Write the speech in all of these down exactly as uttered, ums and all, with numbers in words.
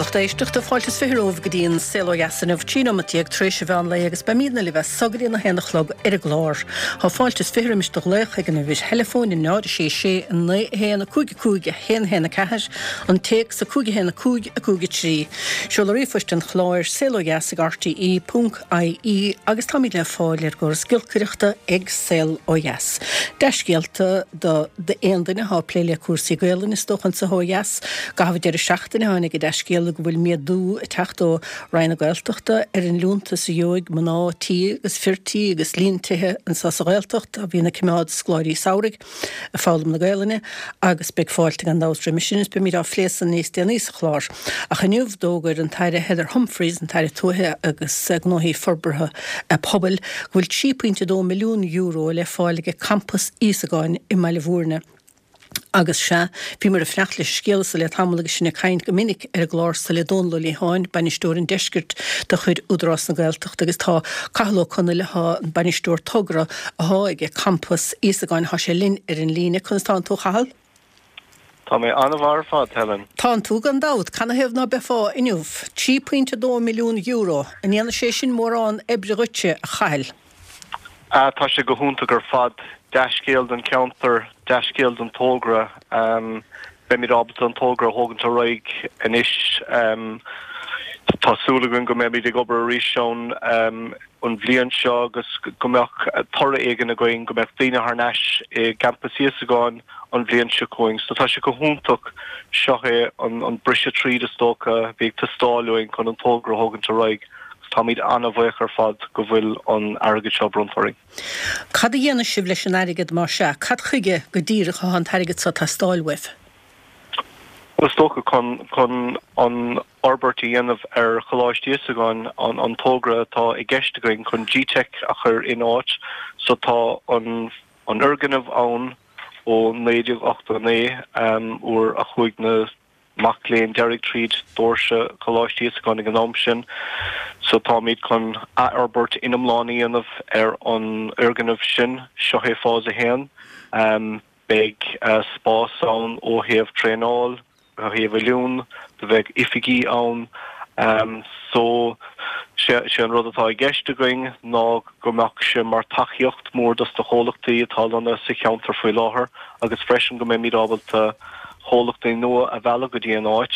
lucht éisteachta fáilte is fiche romhaibh go dtí an Saol Ó Dheas inniu trí nóiméad déag tar éis an mheán lae agus beimidne libh as so go dtí a haon a chlog ar an gclár. Tá fáilte is fiche roimis do ghlaoch ag an uimhir theileafóin a náid a sé sé a naoi a haon a cúig a cúig a haon a haon a ceathair, an téacs a cúig a haon a cúig a cúig a trí. Seoladh ríomhphoist an chláir saol ó dheas ag RTE ponc IE agus táimid le fáil ar an gcóras giolcaireachta ag Saol Ó Dheas. Dea-scéalta do d'aon duine atá ag plé le cúrsaí Gaelainne is dócha anseo ó dheas. I gcaitheamh an deireadh seachtaine tháinig an dea-scéala go bhfuil méadú ag teacht ó Roinn na Gaeltachta ar an liúntas a gheobhaidh mná tí agus fir tí agus líon tithe anseo sa Ghaeltacht a bhíonn ag coimeád scoláirí samhraidh ag foghlaim na Gaelainne agus beidh fáilte gan dabht roimis sin is beimid á phlé san níos déanaí sa chlár. Ach inniu d'fhógair an tAire Heather Humphreys, an tAire Tuaithe agus Gnóthaí Forbartha Pobail, go bhfuil trí pointe dó milliún euro le fáil ag Campas Íosagáin i mBaile Bhúirne. Agus sea, bhíomar ag fanacht leis an scéala so le tamall agus sinn ag caint go minic ar an gclár so le Dónal Ó Liatháin, bainisteoir an deiscirt de chuid Údarás na Gaeltachta agus tá Cathal Ó Conaill, atá an bainisteoir togra athá ag Campas Íosagáin, thá sé linn ar an líne. Conas tánn tú, a Chathail? Tá mé an-mhaith ar fad, Helen. Tánn tú, gan dabht. Canathaobh ná beifeá inniu? Trí pointe dó milliún euro, an ndéanfaidh sé sin mórán oibre dhuitse, a Chathail? Ah, tá sé go hiontach ar fad. Dea-scéal don cheantar, dea-scéal don togra. Beimid ábalta an togra a thógaint ar aghaidh anois. Tá súil againn go mbeimid ag obair arís ann an bhliain seo agus go mbeadh toradh éigin againn, go mbeadh daoine thar n-ais i gCampas Íosagáin an bhliain seo chugainn. So tá sé go hiontach. Seo é an briseadh tríd is dócha a bhí ag teastáil uainn chun an togra a thógaint ar aghaidh agus táimid an-bhuíoch ar fad go bhfuil an airgead seo bronnta orainn. Cad a dhéanfaidh sibh leis an airgead más ea? Cad chuige go díreach atá an t-airgead seo ag teastáil uaibh? Bhuel, is dócha chun chun an fhorbairt a dhéanamh ar Choláiste Íosagáin, an an togra atá i gceist againn chun G-Teic a chur in áit. So tá an an fhoirgneamh ann ó naoi déag ochtó a naoi, uair a chuaigh na mac léinn deiridh tríd doirse Choláiste Íosagáin ag an am sin. So táimid chun athfhorbairt iomlán a dhéanamh ar an fhoirgneamh sin. Seo é fás a haon. Beidh spás ann ó thaobh traenáil, ó thaobh oiliúint, do bheidh oifigí ann. So sé sé an rud atá i gceist againn ná go mbeadh sé mar tacaíocht mór dos na chomhlachtaí atá lonnaithe sa cheantar faoi láthair agus freisin go mbeimid ábalta chomhlachtaí nua a mhealladh go dtí an áit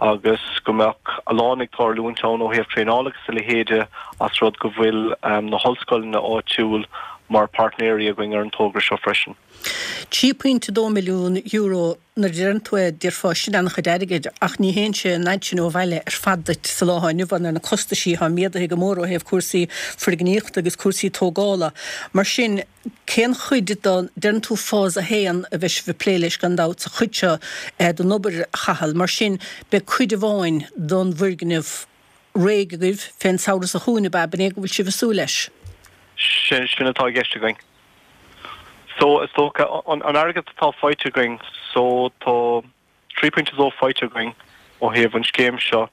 agus go mbeadh a lán ag tarlúint ann ó thaobh traenála agus a leithéide as rud go bhfuil na hollscoileanna áitiúil mar páirtnéirí againn ar an togra seo freisin. Trí pointe dó milliún euro, nuair a deireann tú é, déarfá sin an-chuid airgid, ach ní théann sé an fhad sin ó bhaile ar fad duit sa lá atá inniu ann ar na costaisí atá méadaithe go mór ó thaobh cúrsaí foirgníochta agus cúrsaí tógála. Mar sin, cén chuid den, deireann tú fás a haon a bheidh sibh ag plé leis gan dabht sa chuid seo den obair, a Chathail, mar sin beidh cuid amháin den bhfoirgneamh réidh agaibh fén samhradh seo chugainn, ab ea? B'in é go bhfuil sibh ag súil leis? Sin, sin atá i gceist againn. So, is dócha, an, an airgead atá faighte againn, so tá trí pointe dó faighte againn ó thaobh an scéim seo.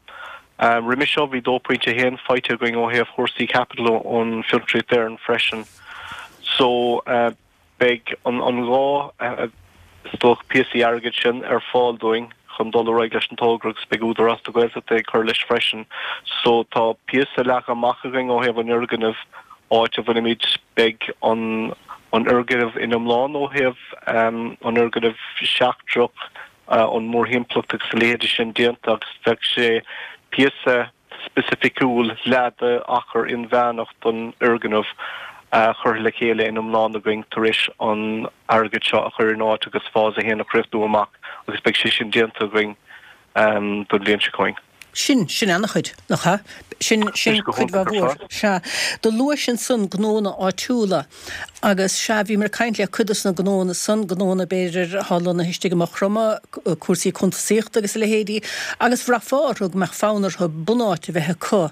Roimhe seo bhí dó pointe haon faighte againn ó thaobh chúrsaí caipitil ón Fiontraíocht Éireann freisin. So, beidh an an dhá is dócha píosaí airgid sin ar fáil dúinn chun dul ar aghaidh leis an togra agus beidh Údarás na Gaeltachta ag cur leis freisin. So tá píosa leagtha amach againn ó thaobh an fhoirgnimh, áit a bhfuilimid, beidh an an fhoirgneamh in iomlán ó thaobh an fhoirgneamh seachtrach, an mhórthimpeallacht agus a leithéide sin déanta agus bheadh sé píosa specificiúil leath d'achar inmheánach don fhoirgneamh curtha le chéile in iomlán againn tar éis an airgead seo a chur in áit agus fás a haon a chríochnú amach agus beidh sé sin déanta againn don bhliain seo chugainn. Sin, sin an-chuid, nach ea? Sin, sin cuid mhaith mhór. Sea. Do luais ansan gnónna áitiúla agus, sea, bhíomar ag caint le cuid dos na gnónna san, gnónna b'fhéidir atá lonnaithe istigh i Maigh Chromtha, cúrsaí cuntasaíochta agus a leithéidí, agus bhraithfeá orthu go mbeadh fonn orthu bunáit a bheith acu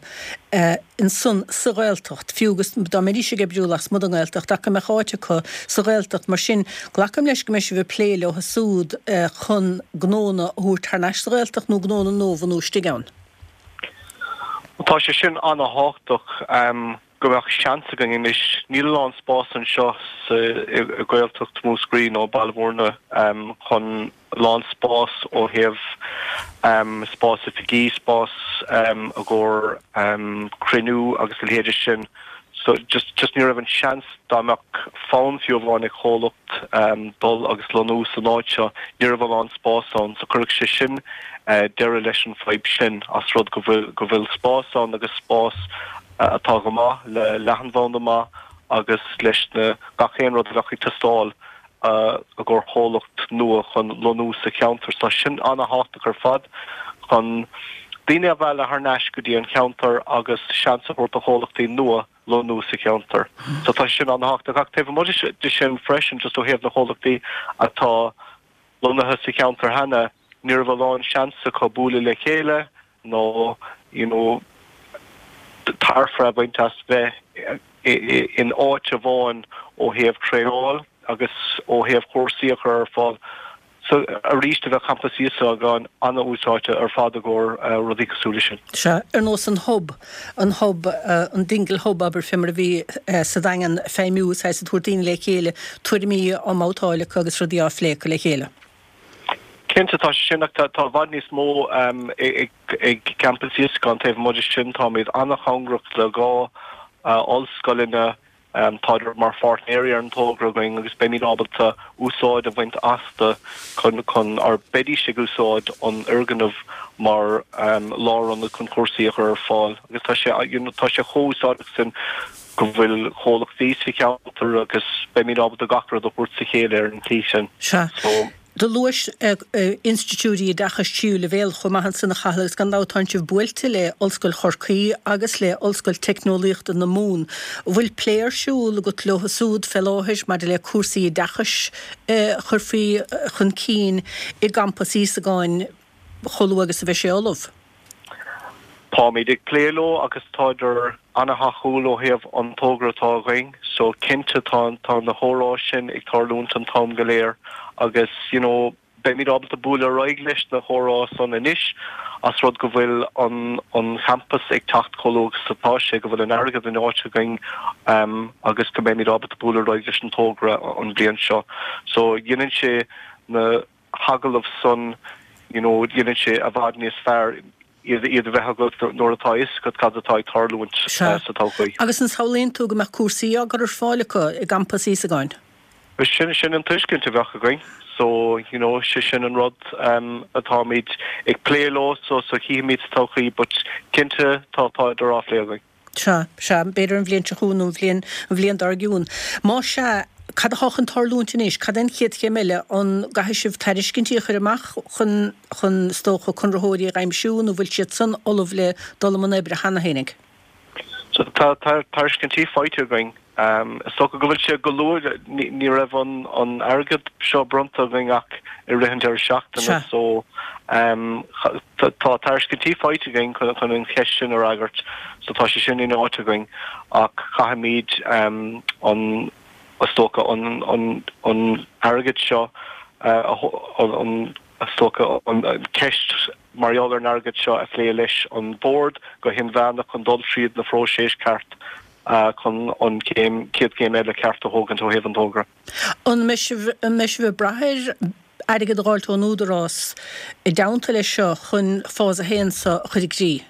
ansan sa Ghaeltacht, fiú agus dá mbeidís ag oibriú lasmuigh den nGaeltacht, ach go mbeadh áit acu sa Ghaeltacht. Mar sin, glacaim leis go mbeidh sibh ag plé leo súd chun gnónna a thabhairt thar n-ais sa Ghaeltacht nó gnónna nua a bhunú istigh ann. Tá sé sin an-thábhachtach. go mbeadh seans againn anois, níl a lán spás anseo sa i Gaeltacht Mhúscraí nó Baile Bhúirne um, chun a lán spás ó thaobh um, spás oifigí, spás um, i gcomhair um, cruinniú agus a leithéide sin. So just just ní raibh an seans dá mbeadh fonn fiú amháin ag comhlacht um, dul agus lonnú san áit seo, ní raibh a lán spás ann, so chuirfeadh sé sin uh, deireadh leis an fadhb sin as rud go bhfuil go bhfuil spás ann agus spás uh, atá go maith le leathanbhanda maith agus leis na gach aon rud a bheadh ag teastáil uh, i gcomhair comhlacht nua chun lonnú sa cheantar. So sin an-tábhachtach ar fad chun daoine a mhealladh thar n-ais go dtí an cheantar agus seans a thabhairt do chomhlachtaí nua lonnú sa cheantar. So tá sin an-tábhachtach ach taobh amuigh de sin freisin just ó thaobh na comhlachtaí atá lonnaithe sa cheantar cheana, ní raibh a lán seans acu bualadh le chéile nó you know, tairbhe a bhaint as bheith in áit amháin ó thaobh traenáil agus ó thaobh cúrsaí a chur ar fáil. So arís a bheith campas Íosagáin an-úsáideach ar fad i gcomhair uh, rudaí cosúil leis sin. Sea, ar nós an hub, an hub, uh, an Dingle Hub abair fé mar a bhí uh, sa Daingean feidhmiú sa tabhairt daoine le chéile tuairimí á mbabhtáil acu agus rudaí á phlé acu le chéile. Cinnte tá sin ach tá i bhfad níos mó um, ag, ag campas Íosagáin taobh amuigh de sin táimid an-chóngarach le dhá uh, ollscoileanna um, tá mar pháirtnéirí ar an togra againn agus beimid ábalta úsáid a bhaint astu chun chun ar beidís ag úsáid an fhoirgneamh mar um, lárionad chun cúrsaí a chur ar fáil agus tá sé you know, tá sé chomh úsáideach sin go bhfuil comhlachtaí sa cheantar agus beimid ábalta gach rud a thabhairt sa chéile ar an tslí sin. Sea. So, Do luais institiúidí oideachais tríú leibhéal chomh maith ansan a Chathail agus gan dabht tánn sibh buailte le Ollscoil Chorcaí agus le Ollscoil Teicneolaíochta na Mumhan. Bhfuil plé ar siúl agat leo súd fé láthair maidir le cúrsaí oideachais a chuirfí chun cinn i gcampas Íosagáin chomh luath agus a bheidh sé ullamh? Táimid ag plé leo agus tádar an-thacúil ó thaobh an togra atá againn, so cinnte tá tá na comhráite sin ag tarlúint an t-am go léir agus you know, beimid ábalta bualadh ar aghaidh leis na comhráite san anois as rud go bhfuil an an campus ag teacht chomh luath agus atá sé go bhfuil an airgead in áit againn um, agus go mbeimid ábalta bualadh ar aghaidh leis an togra an bhliain seo. So dhéanann sé na hagallaimh san you know, dhéanann sé i bhfad níos fearr iad iad a bheith agat nuair atá a fhios agat cad atá ag tarlúint Sea. sa todhchaí. Agus an samhlaíonn tú go mbeadh cúrsaí á gcur ar fáil acu i gcampas Íosagáin? Sin sin an tuiscint a bheadh againn, so you know, sé sin an rud um, atáimid ag plé leo so so chífimid sa todhchaí, but cinnte tá tá idir á phlé againn. Sea, sea, b'fhéidir an bhliain seo chugainn nó an bhliain an bhliain dár gcionn. Má sea, cad atá chun tarlúint anois, cad é an chéad chéim eile an gcaithfidh sibh tairiscintí a chur amach chun chun is dócha conraitheoirí a aimsiú nó bhfuil siad san ullamh le dul i mbun oibre cheana fhéinig? So tá tá tairiscintí faighte againn. Um, is dócha go bhfuil sé go luath ní, ní raibh an, an airgead seo bronnta againn ach i rith an deireadh seachtaine Sea. so um, tá tá tairiscintí faighte againn chun chun an cheist sin a fhreagairt so tá sé sin in áit againn ach caithfimid um, an is dócha an, an, an airgead seo uh, a ho- an, an is dócha an, an ceist mar gheall ar an airgead seo a phlé leis an bord go hinmheánach chun dul tríd na próiseas ceart uh, chun an céim céad céim eile ceart a thógaint ó thaobh an togra. An mbeidh sibh an mbeidh sibh ag brath ar airgead a fháilt ón údarás i dteannta leis seo chun fás a haon seo a chur i gcrích?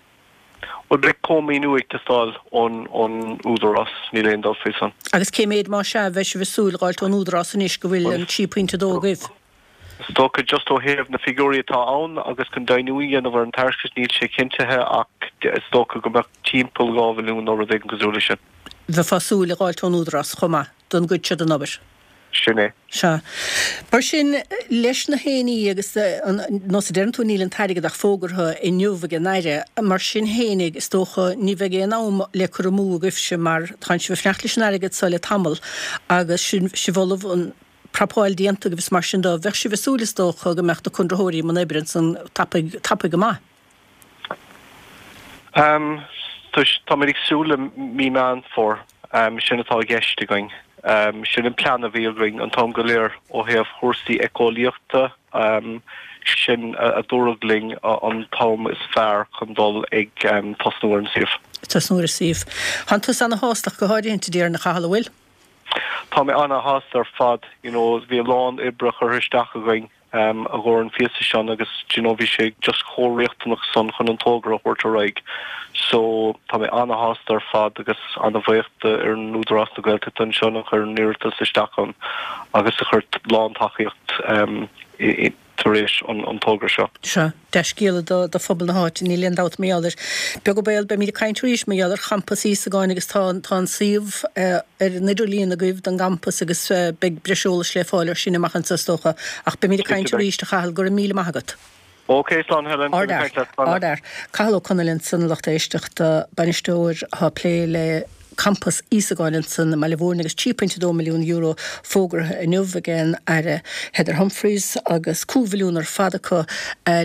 Well beidh cómhaoiniú ag teastáil ón ón údarás níl aon dabht faoi san. Agus cé méid má sea bheidh sibh ag súil fháilt ón údarás anois go bhfuil an trí pointe dó agaibh? Is dócha just ó thaobh na figiúirí atá ann agus chun deimhniú a dhéanamh ar an tairiscint níl sé cinntithe ach is dócha go mbeadh timpeall dhá mhilliún nó rud éigin cosúil leis sin. Bheifeá ag súil a fháilt ón údarás chomh maith don gcuid seo den obair. Sin é. Sea. Mar sin leis na héiní agus nós a deireann tú níl an t-airgead ach fógartha inniu ag an Aire, mar sin fhéinig is dócha ní bheidh aon am le cur amú agaibhse mar tá sibh ag fanacht leis an airgead seo le tamall agus sin sibh ullamh an prapáil déanta agus mar sin dó bheadh sibh ag súil is dócha go mbeadh na conraitheoirí i mbun oibre ansan tapaidh tapaidh go maith. Um, Tá ag súil le mí Meán Fómhair um, sin atá i gceist againn. Um, sin an plean a bhí againn an t-am go léir ó thaobh chúrsaí éiceolaíochta um, sin a dúradh linn an t-am is fearr chun dul ag tosnú ar an suíomh. Tosnú ar an suíomh. Tánn tusa ana-shásta go háirithe déarfainn, a Chathail, an bhfuil? Tá mé ana-shásta ar fad, you know, bhí a lán oibre curtha isteach againn um, i gcomhair an phíosa sin agus you know, bhí sé just chomh riachtanach san chun an togra a thabhairt ar aghaidh. So tá mé ana-shásta ar fad agus ana-bhuíoch ar an Údarás na Gaeltachta ansin a chuir an iarratas isteach ann agus a chuir lántacaíocht um, tar éis an, an togra seo. Seo, dea-scéala do, do phobal na háite, níl aon dabht mar gheall air. Beag an baol, beimid ag caint arís mar gheall ar champas Íosagáin agus tá, tá an suíomh uh, ar an idirlíon agaibh don gcampas agus uh, beidh breis eolais le fáil ar sin amach anseo is dócha. Ach beimid ag caint arís, a Chathail, go raibh míle maith agat. Ok, slán Helen. Ardfhear, ardfhear. Cathal Ó Conaill ansan a lucht éisteachta, bainisteoir atá ag plé le Campas Íosagáin ansan i mBaile Mhúirne agus trí pointe dó milliún euro fógartha inniu ag an Aire Heather Humphreys agus cúig mhilliún ar fad acu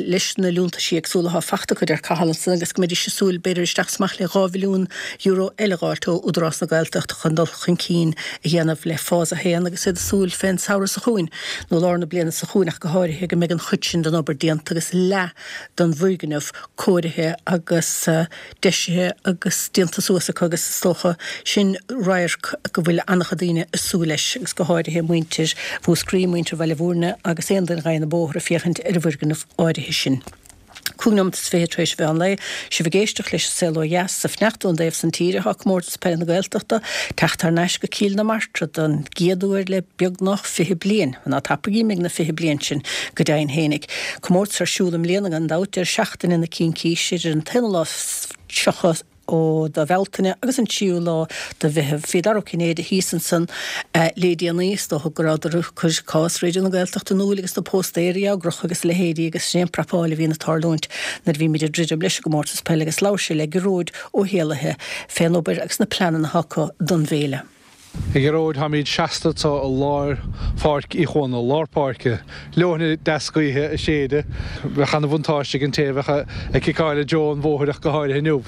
leis na liúntaisí éagsúla atá fachta acu deir Cathal ansan agus go mbeidís ag súil b'fhéidir isteach is amach le dhá mhilliún euro eile a dh'fháilt ó Údarás na Gaeltachta chun dul chun cinn a dhéanamh le Fás a haon agus iad ag súil fén samhradh seo chugainn nó lár na bliana seo chugainn ach go háirithe go mbeidh an chuid sin den obair déanta agus leath den bhfoirgneamh cóirithe agus deisithe agus déanta suas acu agus is dócha sin radharc go bhfuil an-chuid daoine ag súil leis agus go háirithe muintir Mhúscraí, muintir Bhaile Mhúirne agus aon duine a ghabhann an bóthar ag féachaint ar an bhfoirgneamh áirithe sin. Cúig nóiméad is fiche tar éis mheán lae, sibh ag éisteacht leis an Saol Ó Dheas sa Fhneachta ón dtaobh san tíre atá Comórtas Peile na Gaeltachta teacht thar n-ais go Cill na Martra don gcéad uair le beagnach fiche bliain. Ná tapaigí imigh na fiche bliain sin go deimhin fhéinig. Comórtas ar siúl i mbliana gan dabht deireadh seachtaine na Cincíse idir an t-aonú lá is tríocha de Bhealtaine agus an tríú lá de Mheitheamh. Bhí Dara Ó Cinnéide thíos ansan le déanaí, is dócha go rabhadar ag cur cás Raidió na Gaeltachta in iúl agus na póstaeir á gcrochadh agus a leithéidí agus sin é an prapáil a bhíonn ag tarlúint nuair a bhímid ag druidim leis an gcomórtas peile agus labhair sé le Gearóid Ó hÉallaithe fén obair agus na pleananna atá acu don bhféile. A Ghearóid, táimid seasta anseo i lár Pháirc Uí Chuana, lár páirce. Leoithne deas gaoithe ag séideadh. Bheadh ana-bhuntáiste ag an té a bheadh ag ciceáil i dtreo an bhóthair ach go háirithe inniu.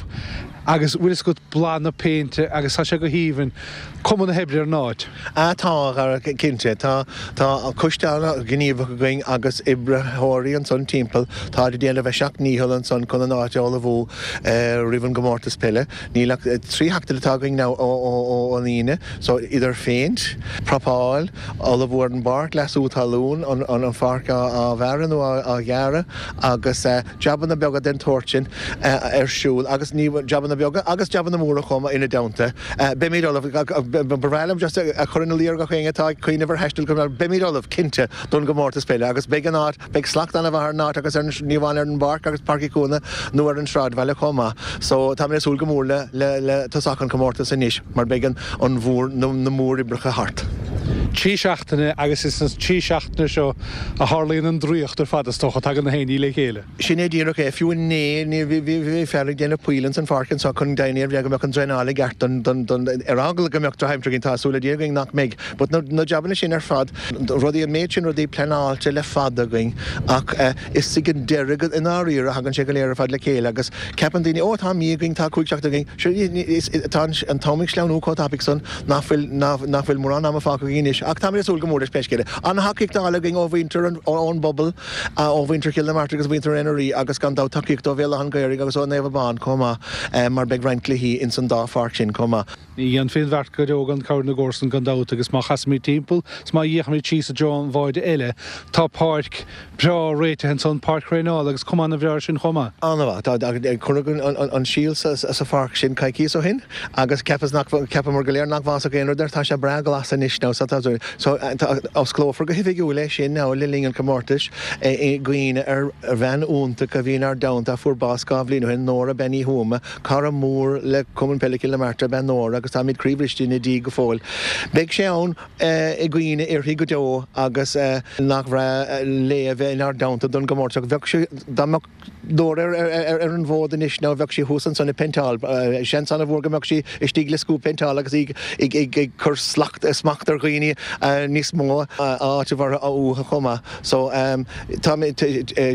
Agus bhfuil fhios agat, boladh na péinte agus tá sé go haoibhinn. Cuma na hoibre ar an áit. Ah tá, a Dhara, cinnte. Tá, tá coiste an-ghníomhach againn agus oibritheoirí ansan timpeall. Táid ag déanamh a seacht ndícheall ansan chun an áit a ullmhú roimh an gcomórtas peile. Níl ach trí sheachtain atá againn now ó an Aoine, so idir phéint, prapáil, ullmhú ar an bpáirc, leasú talún, an pháirc á bhearradh nó á ghearradh agus jabanna beaga den tsórt sin ar siúl agus ní jabanna beaga agus jabanna móra chomh maith ina dteannta. Beimid ullamh, ba bhreá liom just a chur ina luí ar gach éinne atá ag cuimhneamh ar thaisteal go beimid ullamh, cinnte, don gcomórtas peile agus beidh an áit, Beidh slacht an-mhaith ar an áit agus ar an, ní amháin ar an bpáirc agus Páirc Uí Chuana nó ar an sráidbhaile chomh maith. So táimid ag súil go mór le, le, le tosach an chomórtais anois mar beidh an, an mhór, na, na móroibreacha thart. Trí seachtaine agus is sna trí seachtaine seo a tharlaíonn an draíocht ar fad is dócha, tagann na héinní le chéile. Sin é díreach é. Fiú inné, ní, bhí, bhí, bhí fear ag déanamh poill ins an pháirc anseo chun deimhniú go mbeadh an draenáil i gceart don, don, don, ar eagla go mbeadh drochaimsir againn, tá súil le Dia againn nach mbeidh. But na, na jabanna sin ar fad, rudaí, an méid sin rudaí pleanáilte le fada againn ach is ag an deireadh i ndáiríre a thagann sé go léir ar fad le chéile agus ceapann daoine, ó tá mí againn, tá cúig seachtaine againn. Sure, is, tá an t-am ag sleamhnú chomh tapaidh san nach bhfuil, nach bhfuil mórán ama fágtha againn anois ach táimid ag súil go mór leis pé scéal é. An-thacaíocht á fháil againn ó mhuintir an, ón bpobal, ó mhuintir Chill na Martra agus mhuintir an Rí agus gan dabht tacaíocht ó Bhéal Átha an Ghaorthaidh agus ó Naomh Abán chomh maith mar beidh roinnt cluichí ins an dá pháirc sin chomh maith. Ní dhéanfaí an bheart go deo gan cabhair na gcomharsan gan dabht agus má chasaimid timpeall 's má fhéachaimid síos i dtreo an bháide eile tá páirc bhreá réitithe ansan, páirc thraenála agus cuma ana-bhreá air sin chomh maith. An-mhaith. Tá, cuireadh an síol sa pháirc sin coicíos ó shin agus cheapas nach, cheapamar go léir nach bhfásfadh aon rud air. Tá sé breá glas anois now so tá, so osclófar go hoifigiúil é sin now le linn an chomórtais i gcuimhne ar bhean iontach a bhí inár dteannta a fuair bás dhá bhliain ó shin, Nóra Bean Uí Thuama. Cara mór le Cumann Peile Chill na Martra ab ea Nóra agus táimid croíbhriste ina diaidh go fóill. Beidh sé ann i gcuimhne uirthi go deo agus nach bhreá léi a bheith inár dteannta don gcomórtas. Bheadh sé, dá mbeadh Nóra ar an bhfód anois nó bheadh sí thuas ansan ag péinteáil. Seans an-mhór go mbeadh sí istigh le scuab péinteála agus í ag cur smacht ar dhaoine níos mó áiteamh orthu uathu chomh maith. So tá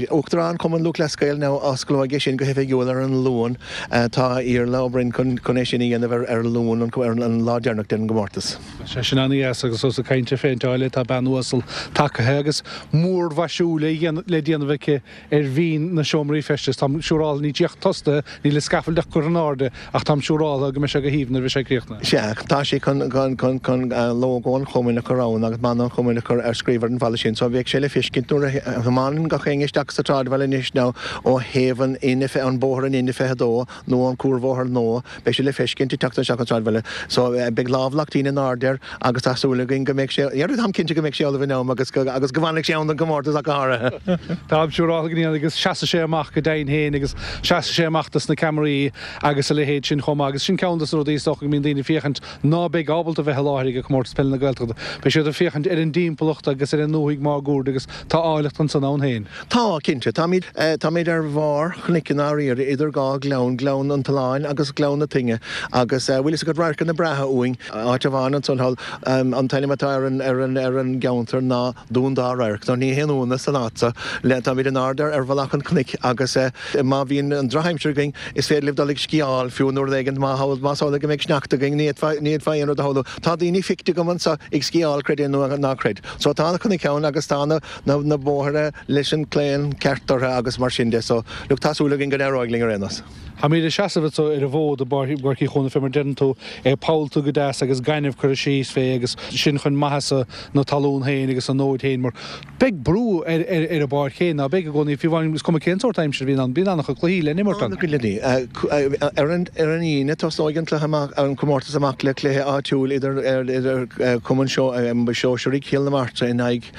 Uachtarán Chumann Lúthchleas Gael now osclóidh é sin go hoifigiúil ar an Luan. Tá Iarla Ó Broin chun é sin a dhéanamh ar Luan ar an lá deireanach den gcomórtas. Sé sin an-dheas agus ós ag caint ar phéinteáil tá bean uasal tagaithe agus múrmhaisiú le déanamh aici ar bhinn na seomraí feistis. Táim siúráilte níl sí ach tosaithe, níl an scaffold ach curtha in airde ach táim siúráilte go mbeidh sé go haoibhinn nuair a bheidh sé críochnaithe. Sea, tá sé chun chun lógó an chumainn a chur ann agus mana an chumainn a chur ar scríobh ar an bhalla sin so bheadh sé le feiscint nuair a thiomáineann gach éinne isteach sa tsráidbhaile anois nó ó thaobh an an bóthar an N fiche dó nó an cuarbhóthar nua, beidh sé le feiscint ag teacht isteach an tsráidbhaile. So beidh lámhlachtaí in airde air agus tá súil againn go mbeidh sé, táim cinnte go mbeidh sé ullamh in am agus go agus go bhfanfaidh sé ann don gcomórtas ach go háirithe. Táim siúráilte go ndéanfaidh agus seasfaidh sé amach go deimhin féin agus seasfaidh sé amach dos na ceamaraí agus a leithéid sin chomh maith agus sin ceann dos na rudaí is dócha go mbíonn daoine ag féachaint ná beidh ábalta bheith i láthair ag Comórtas Peile na Gaeltachta. Beidh siad ag féachaint ar an dtimpeallacht agus ar an ndúthaigh máguaird agus tá áilleacht ansan ann féin. Tá, cinnte. Táimid táimid ar bharr chnoic i ndáiríre idir dhá ghleann, Gleann an tSuláin agus Gleann na Toinge agus bhfuil fhios agat radharcanna breátha uainn. Áit amháin ansan thall, an t-ainm atá ar an ar an ar an gceantar ná Dún Dá Radharc. So ní haon ionadh san áit so. Le táimid in airde ar mhullach an chnoic agus má bhíonn an drochaimsir againn is féidir libh dul ag sciáil fiú nó rud éigin má más amhlaidh go mbeidh sneachta againn ní fhéadfá ní fhéadfá aon rud a shamhlú. Tá daoine feicthe agam anso ag sciáil creid é nó ná creid. So tá na cnoic ann agus tá na na na bóithre leis an claon ceart orthu agus mar sin de. So look tá súil againn go n-éireoidh linn ar aon nós. Táimid ag seasamh anso ar an bhfód i bPáirc Uí Chuana fé mar deireann tú, é pollta go deas agus gaineamh curtha síos fé agus sin chun maitheasa na talún féin agus an fhóid féin mar beidh brú ar ar an bpáirc féin ná beidh i gcónaí fiú amháin is cuma cén sórt aimsire a bhíonn ann, bíonn an-chuid cluichí le n-imirt ann. Ar an ar an Aoine tosóidh an cluiche amach an comórtas amach le cluiche áitiúil idir idir Cumann Sóisearaigh Chill na Martra in aghaidh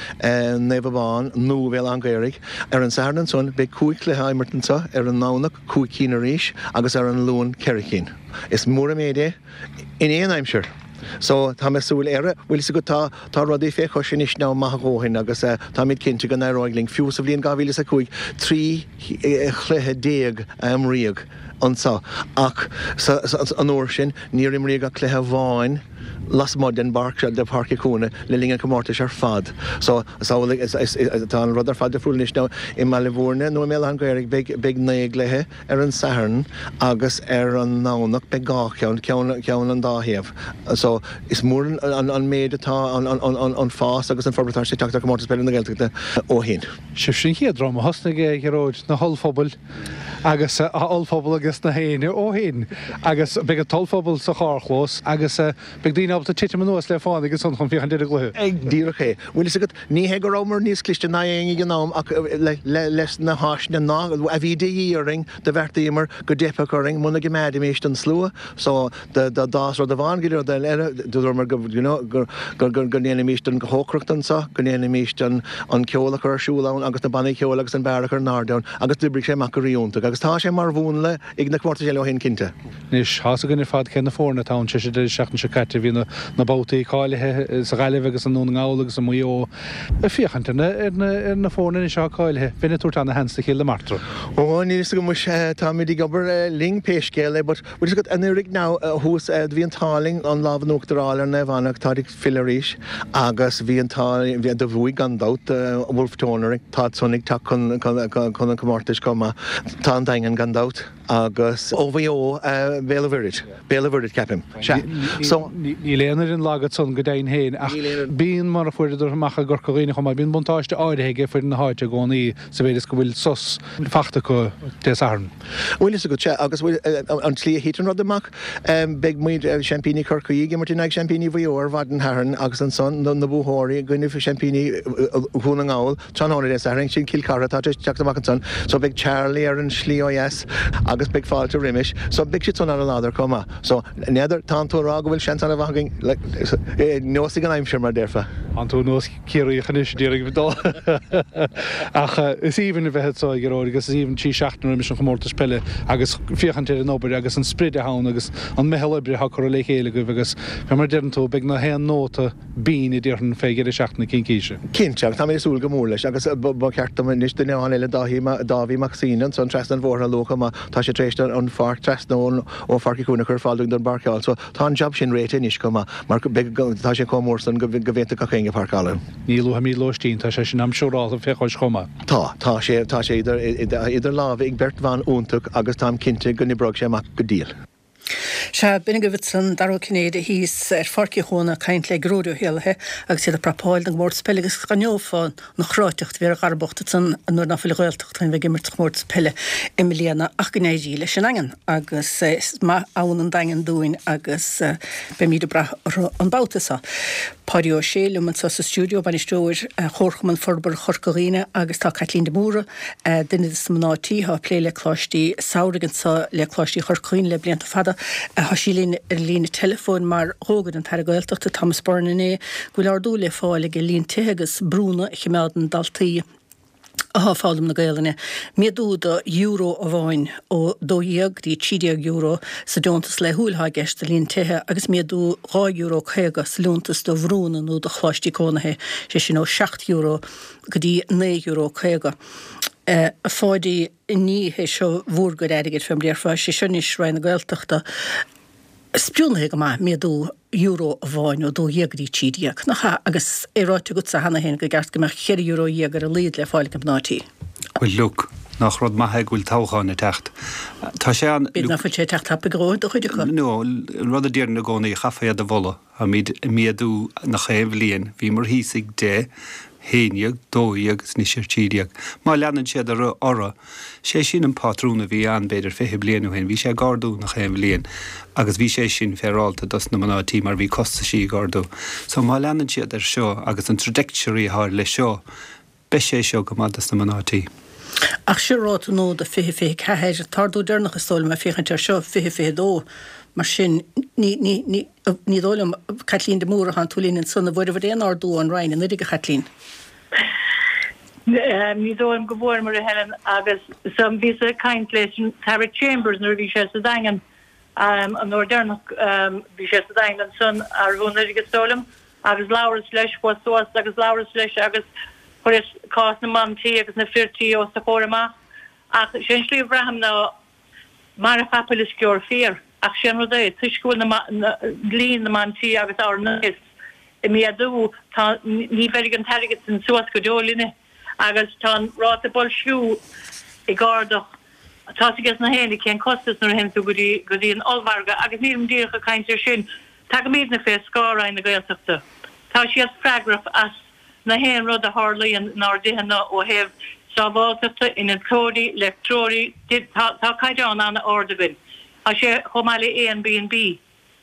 Naomh Abán nó Bhéal Átha an Ghaorthaidh. Ar an Satharn ansan beidh cúig chluiche á imirt anso, ar an nDomhnach cúig cinn arís agus ar an Luan ceithre cinn. Is mór an méid é in aon aimsir. So tá mé súil air, bhfuil fhios agat tá tá rudaí fé chois anois now maith a dhóthain agus táimid cinnte go n-éireoidh linn fiú sa bhliain dhá mhíle is a cúig trí chluiche déag a imríodh anso ach sa an uair sin níor imríodh ach cluiche amháin lasmuigh den bpáirc seo, de Pháirc Uí Chuana le linn an chomórtais ar fad. So is amhlaidh is is tá an rud ar fad difriúil anois now i mBaile Bhúirne nó i mBéal Átha an Ghaorthaidh beidh beidh naoi gcluiche ar an Satharn agus ar an nDomhnach beidh dhá cheann, ceann ceann an dá thaobh. So is mór an an méid atá an an an an fás agus an forbairt atá sé ag teacht ar Chomórtas Peile na Gaeltachta ó shin. Sibhse an chéad dream a thosnaigh é, a Ghearóid, na hollphobail agus a ollphobal agus na héinne ó shin agus beidh an t-ollphobal sa charrchlós agus beidh daoine ábalta titim anuas le fánaidh ansan chun féachaint ar an gcluiche. Díreach é. Bhfuil fhios agat, ní hé go rabhamar níos cliste ná éinne ag an am ach leis na háiseanna ná a bhí de dhíth orainn do bheartaíomar go dteipfeadh orainn muna gcoimeádaimis an slua so d'fhás rud amháin go dtí rud eile dúramar go you know go go go ndéanfaimis an chócaireacht anso go ndéanfaimis an an ceol a chur ar siúl ann agus na bannaí ceoil agus an beár a chur in airde ann agus d'oibrigh sé amach go rí-iontach agus tá sé mar mhúnla ag na comórtais eile ó shin cinnte. Anois, tá's againn ar fad cé na foirne atá ann tar éis an deireadh seachtaine seo caite. Bhí na na babhtaí cáilithe sa Ghaillimh agus i nDún na nGall agus i Maigh Eo. Ag féachaint ar na ar na ar na foirne anois atá cáilithe, bheinn ag tabhairt ana-sheans do Chill na Martra. Ó, níl fhios agam muis, táimid ag obair linn pé scéal é but bhfuil fhios agat anuraidh now thuas bhí an t-ádh linn an lámh in uachtar a fháil ar Naomh Anna táid ag filleadh arís agus bhí an t-ádh bhí do bhuaigh gan dabht Wolfe Tone orainn táid san ag teacht chun chun an chomórtais chomh maith. Tá an Daingean gan dabht agus ó Mhaigh Eo Béal an Mhuirthead Béal an Mhuirthead ceapaim. Sea. So. Níl aon fhoireann lag ansan go deimhin féin ach bíonn mar a fuaireadar amach i gCorca Dhuibhne chomh maith bíonn buntáiste áirithe ag foireann na háite i gcónaí sa mhéid is go bhfuil sos fachta acu Dé Sathairn. Bhfuil fhios agat, sea, agus bhfuil, an tslí a thit an rud amach, beidh muid, seaimpíní Chorcaí ag imirt in aghaidh seaimpíní Mhaigh Eo ar mhaidin Shathairn agus ansan na buathóirí i gcoinnibh seaimpíní Dhún na nGall tráthnóna Dé Sathairn, sin Cill Chartha atá tar éis teacht amach ansan, so beidh Charlie ar an slí ó dheas agus. agus beidh fáilte roimis so beidh siad san ar an láthair chomh maith. So n'fheadar, tá tú ag rá go bhfuil seans an-mhaith againn like neosfaidh an aimsir mar déarfá. Tá tú nós Ciarraíoch anois a d'iarraidh dul. Ach is aoibhinn a bheith anseo a Ghearóid agus is aoibhinn trí seachtaine roimis an chomórtas peile agus féachaint ar an obair agus an sprid atá ann agus an meitheal oibre atá curtha le chéile agaibh agus fé mar a deireann tú beidh na haon nóta binn a déarfainn fé dheireadh seachtaine cincíse. Cinnte, agus táimid ag súil go mór leis agus ba cheart dom anois duine amháin eile, Dáithí, Dáibhí Mac Suibhne ansan trasna an bhóthair a lua chomh maith, tá sé tar éis an pháirc trasna ón ó Pháirc Uí Chuinn a chur ar fáil dúinn don bpáirceáil so tá an jab sin réitithe anois chomh maith mar beidh, tá sé chomh mór san go bhféadfadh gach éinne páirceáil ann. Ní luafaimid lóistín, tá sé sin am siúrálta fé chois chomh maith. Tá, tá sé, tá sé idir, idir lámha ag beirt bhan iontach agus táim cinnte go n-oibreoidh sé amach go diail. Sea, b'in agaibh ansan Dara Ó Cinnéide thíos ar Pháirc Uí Chuana ag caint le Gearóid Ó hÉallaithe agus iad ag prapáil don gcomórtas peile agus d'aithneofá an chráiteacht a bhí ar Dhara bocht ansan nuair ná fuil an Ghaeltacht chun bheith ag imirt sa chomórtas peile i mbliana ach go n-éirí leis an nDaingean agus is maith ann an Daingean dúinn agus beimíd ag brath orthu an babhta seo. Páidí Ó Sé liom anseo sa stiúideo, bainisteoir Chomharchumann Forbartha Chorca Dhuibhne agus tá Caitlín de Mórdha, duine de na mná tí atá ag plé le coláistí samhraidh anseo le Coláistí Chorca Dhuibhne le blianta fada. Tá sí linn ar an líne teileafóin mar dh'fhógair an tAire Gaeltachta Thomas Byrne inné go bhfuil ardú le fáil ag líon tithe agus brúnna a chimeádann daltaí atá ag foghlaim na Gaelainne. Méadú de euro amháin ó dó dhéag go dtí trí déag euro sa deontas laethúil atá i gceist do líon tithe agus méadú dhá euro caoga sa liúntas do bhrúnna nó do choláistí cónaithe, sé sin ó seacht euro go dtí naoi euro caoga. A Pháidí, ní hé seo bhúr gcuid airgid fé mar a déarfá, sé seo anois Roinn na Gaeltachta. Spriúnaithe go maith, méadú euro amháin ó dó dhéag go dtí trí déag, nach ea? Agus é ráite agatsa cheana féin go gceart go mbeadh ceithre euro dhéag ar a laghad le fáil ag mná tí. Bhuel, look, nach rud maith é go bhfuil toghchán ag teacht. Tá sé an. B'fhéidir nach bhfuil sé ag teacht tapaidh go leor do chuid acu. No, an rud a déarfainn i gcónaí, chaithfeá iad a mholadh. Táimid ag méadú nach aon bhliain. Bhíomar thíos ag deich. haon dhéag, dó dhéag agus anois ar trí déag. Má leanann siad orthu, sé sin an pátrún a bhí ann b'fhéidir fiche bliain ó shin, bhí sé ag ardú nach aon bhliain agus bhí sé sin féaráilte dos na mná tí mar bhí costaisí ag ardú. So má leanann siad air seo agus an trajectory atá leis seo, beidh sé seo go maith dos na mná tí. Ach seo ráta nua do fiche fiche ceathair, an t-ardú deireanach is dóigh liom ag féachaint air seo, fiche fiche dó. Mar sin, ní, ní, ní, ní dóigh liom, Caitlín de Mórdha, thánn tú linn ansan, an bhfuaireabhair aon ardú ón Roinn anuraidh, a Chaitlín? Ní dóigh liom go bhfuaireamar, a Helen, agus so bhíos ag caint leis an tAire Chambers nuair a bhí sé sa Daingean, an uair deireanach bhí sé sa Daingean ansan, arú anuraidh is dóigh liom, agus labhras leis, chuas suas agus labhras leis agus chuireas cás na mban tí agus na fir tí os a chomhair amach. Ach sé an slí a bhraithim ná, Mairg capaill is sciorr fiar. Ach sé an rud é, toisc go bhfuil na, líon na mban tí agus ár n-aos ag méadú, tá, ní bheirfidh an t-airgead sin suas go deo linne. Agus tá an ráta boilsciú ag ardach. Tá's ages na héinne cén costas nuair a théann tú go dtí, go dtí an ollmhargadh. Agus nílim díreach ag caint ar sin. Tagaimídne fé scáth Roinn na Gaeltachta. Tá siad freagrach as. Na haon rud a tharlaíonn inár dtithe-na ó thaobh sábháilteachta, innealtóirí, leictreoirí, tá tá caighdeán an-ard againn. Tá sé chomh maith le A and B and B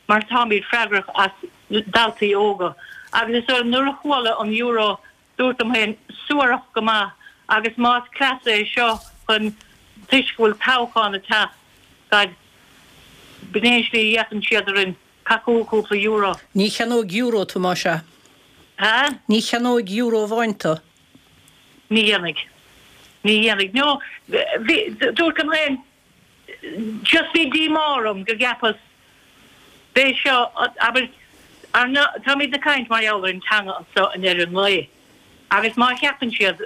mar táimid freagrach as daltaí óga. Agus is dóigh liom nuair a chuala an euro dúrt liom féin suarach go maith agus más cleas é seo chun toisc go bhfuil toghchán ag teacht gad b'in é an slí a fhéachann siad orainn. Caith cúpla euro. Ní cheannóidh euro tú más ea. Ha? Ní cheannóidh euro amháin tú. Ní dhéanfaidh. Ní dhéanfaidh. No, bhí, dúrt liom féin, just bhí díomá orm go gceapas, b'é seo, abair, ar na, táimid ag caint mar gheall ar an teanga anso i ndeireadh an lae agus má cheapann siad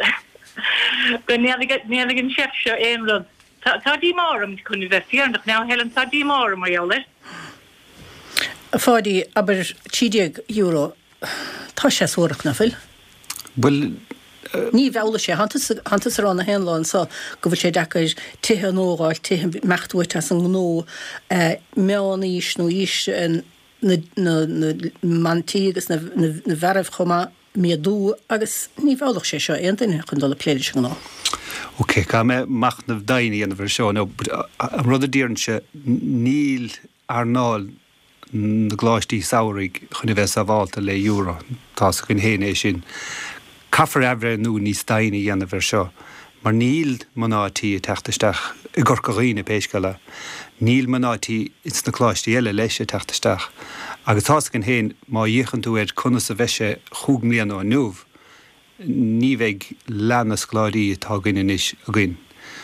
go ndéanfaidh, ndéanfaidh an seift seo aon rud, tá, tá díomá orm, chun a bheith fírinneach now, Helen, tá díomá orm mar gheall air. A Pháidí, abair trí déag euro, tá sé suarach, nach bhfuil? Bhuel. Ní mheallfaidh sé. Thánn tusa ag rá na haon lá anso go bhfuil sé deacair tithe a thógáil, tithe imeacht uait as an ngnó, meán-aois nó aois na mban tí agus na bhfearaibh chomh maith, méadú agus ní mheallfadh sé seo aon duine chun dul ag plé leis an ngnó. Ok, caithfidh mé machnamh domhain a dhéanamh ar seo. Now, an rud a déarfainnse, níl earnáil na gcoláistí samhraidh chun a bheith sábhálta le euro. Tá's againn féin é sin. Caithfear athbhreithniú níos doimhne a dhéanamh ar seo Mar níl mná tí ag teacht isteach i gCorca Dhuibhne pé scéal é. Níl mná tí ins na coláistí eile leis ag teacht isteach. Agus tá's againn féin, má fhéachann tú ar conas a bheidh sé chúig mbliana ó inniu, ní bheidh leath na scoláirí atá againn anois againn.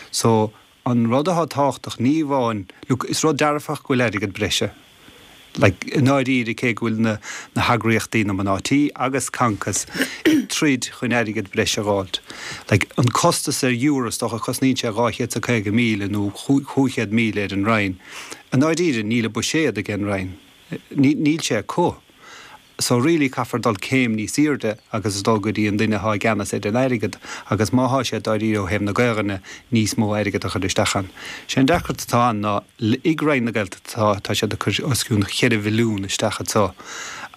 So, an rud atá tábhachtach, ní amháin, look, is rud dearfach go bhfuil airgead breise, like, i ndáiríre cé go bhfuil na, na heagraíochtaí, na mná tí agus Concos ag troid chun airgead breise a dh'fháilt. Like, an costas ar euro, is dócha, cosnaíonn sé dhá chéad 's a caoga míle nó chúig chéad míle ar an Roinn. I ndáiríre níl an buiséad ag an Roinn. Níl sé acu. So really caithfear dul céim níos airde agus dul go dtí an duine atá i gceannas ar an airgead agus má thá sé dáiríre ó thaobh na Gaelainne níos mó airgead a chur isteach ann. Sé an deacracht atá ann ná ag Roinn na Gaeltachta tá tá siad ag cur os cionn cheithre mhilliún isteach anso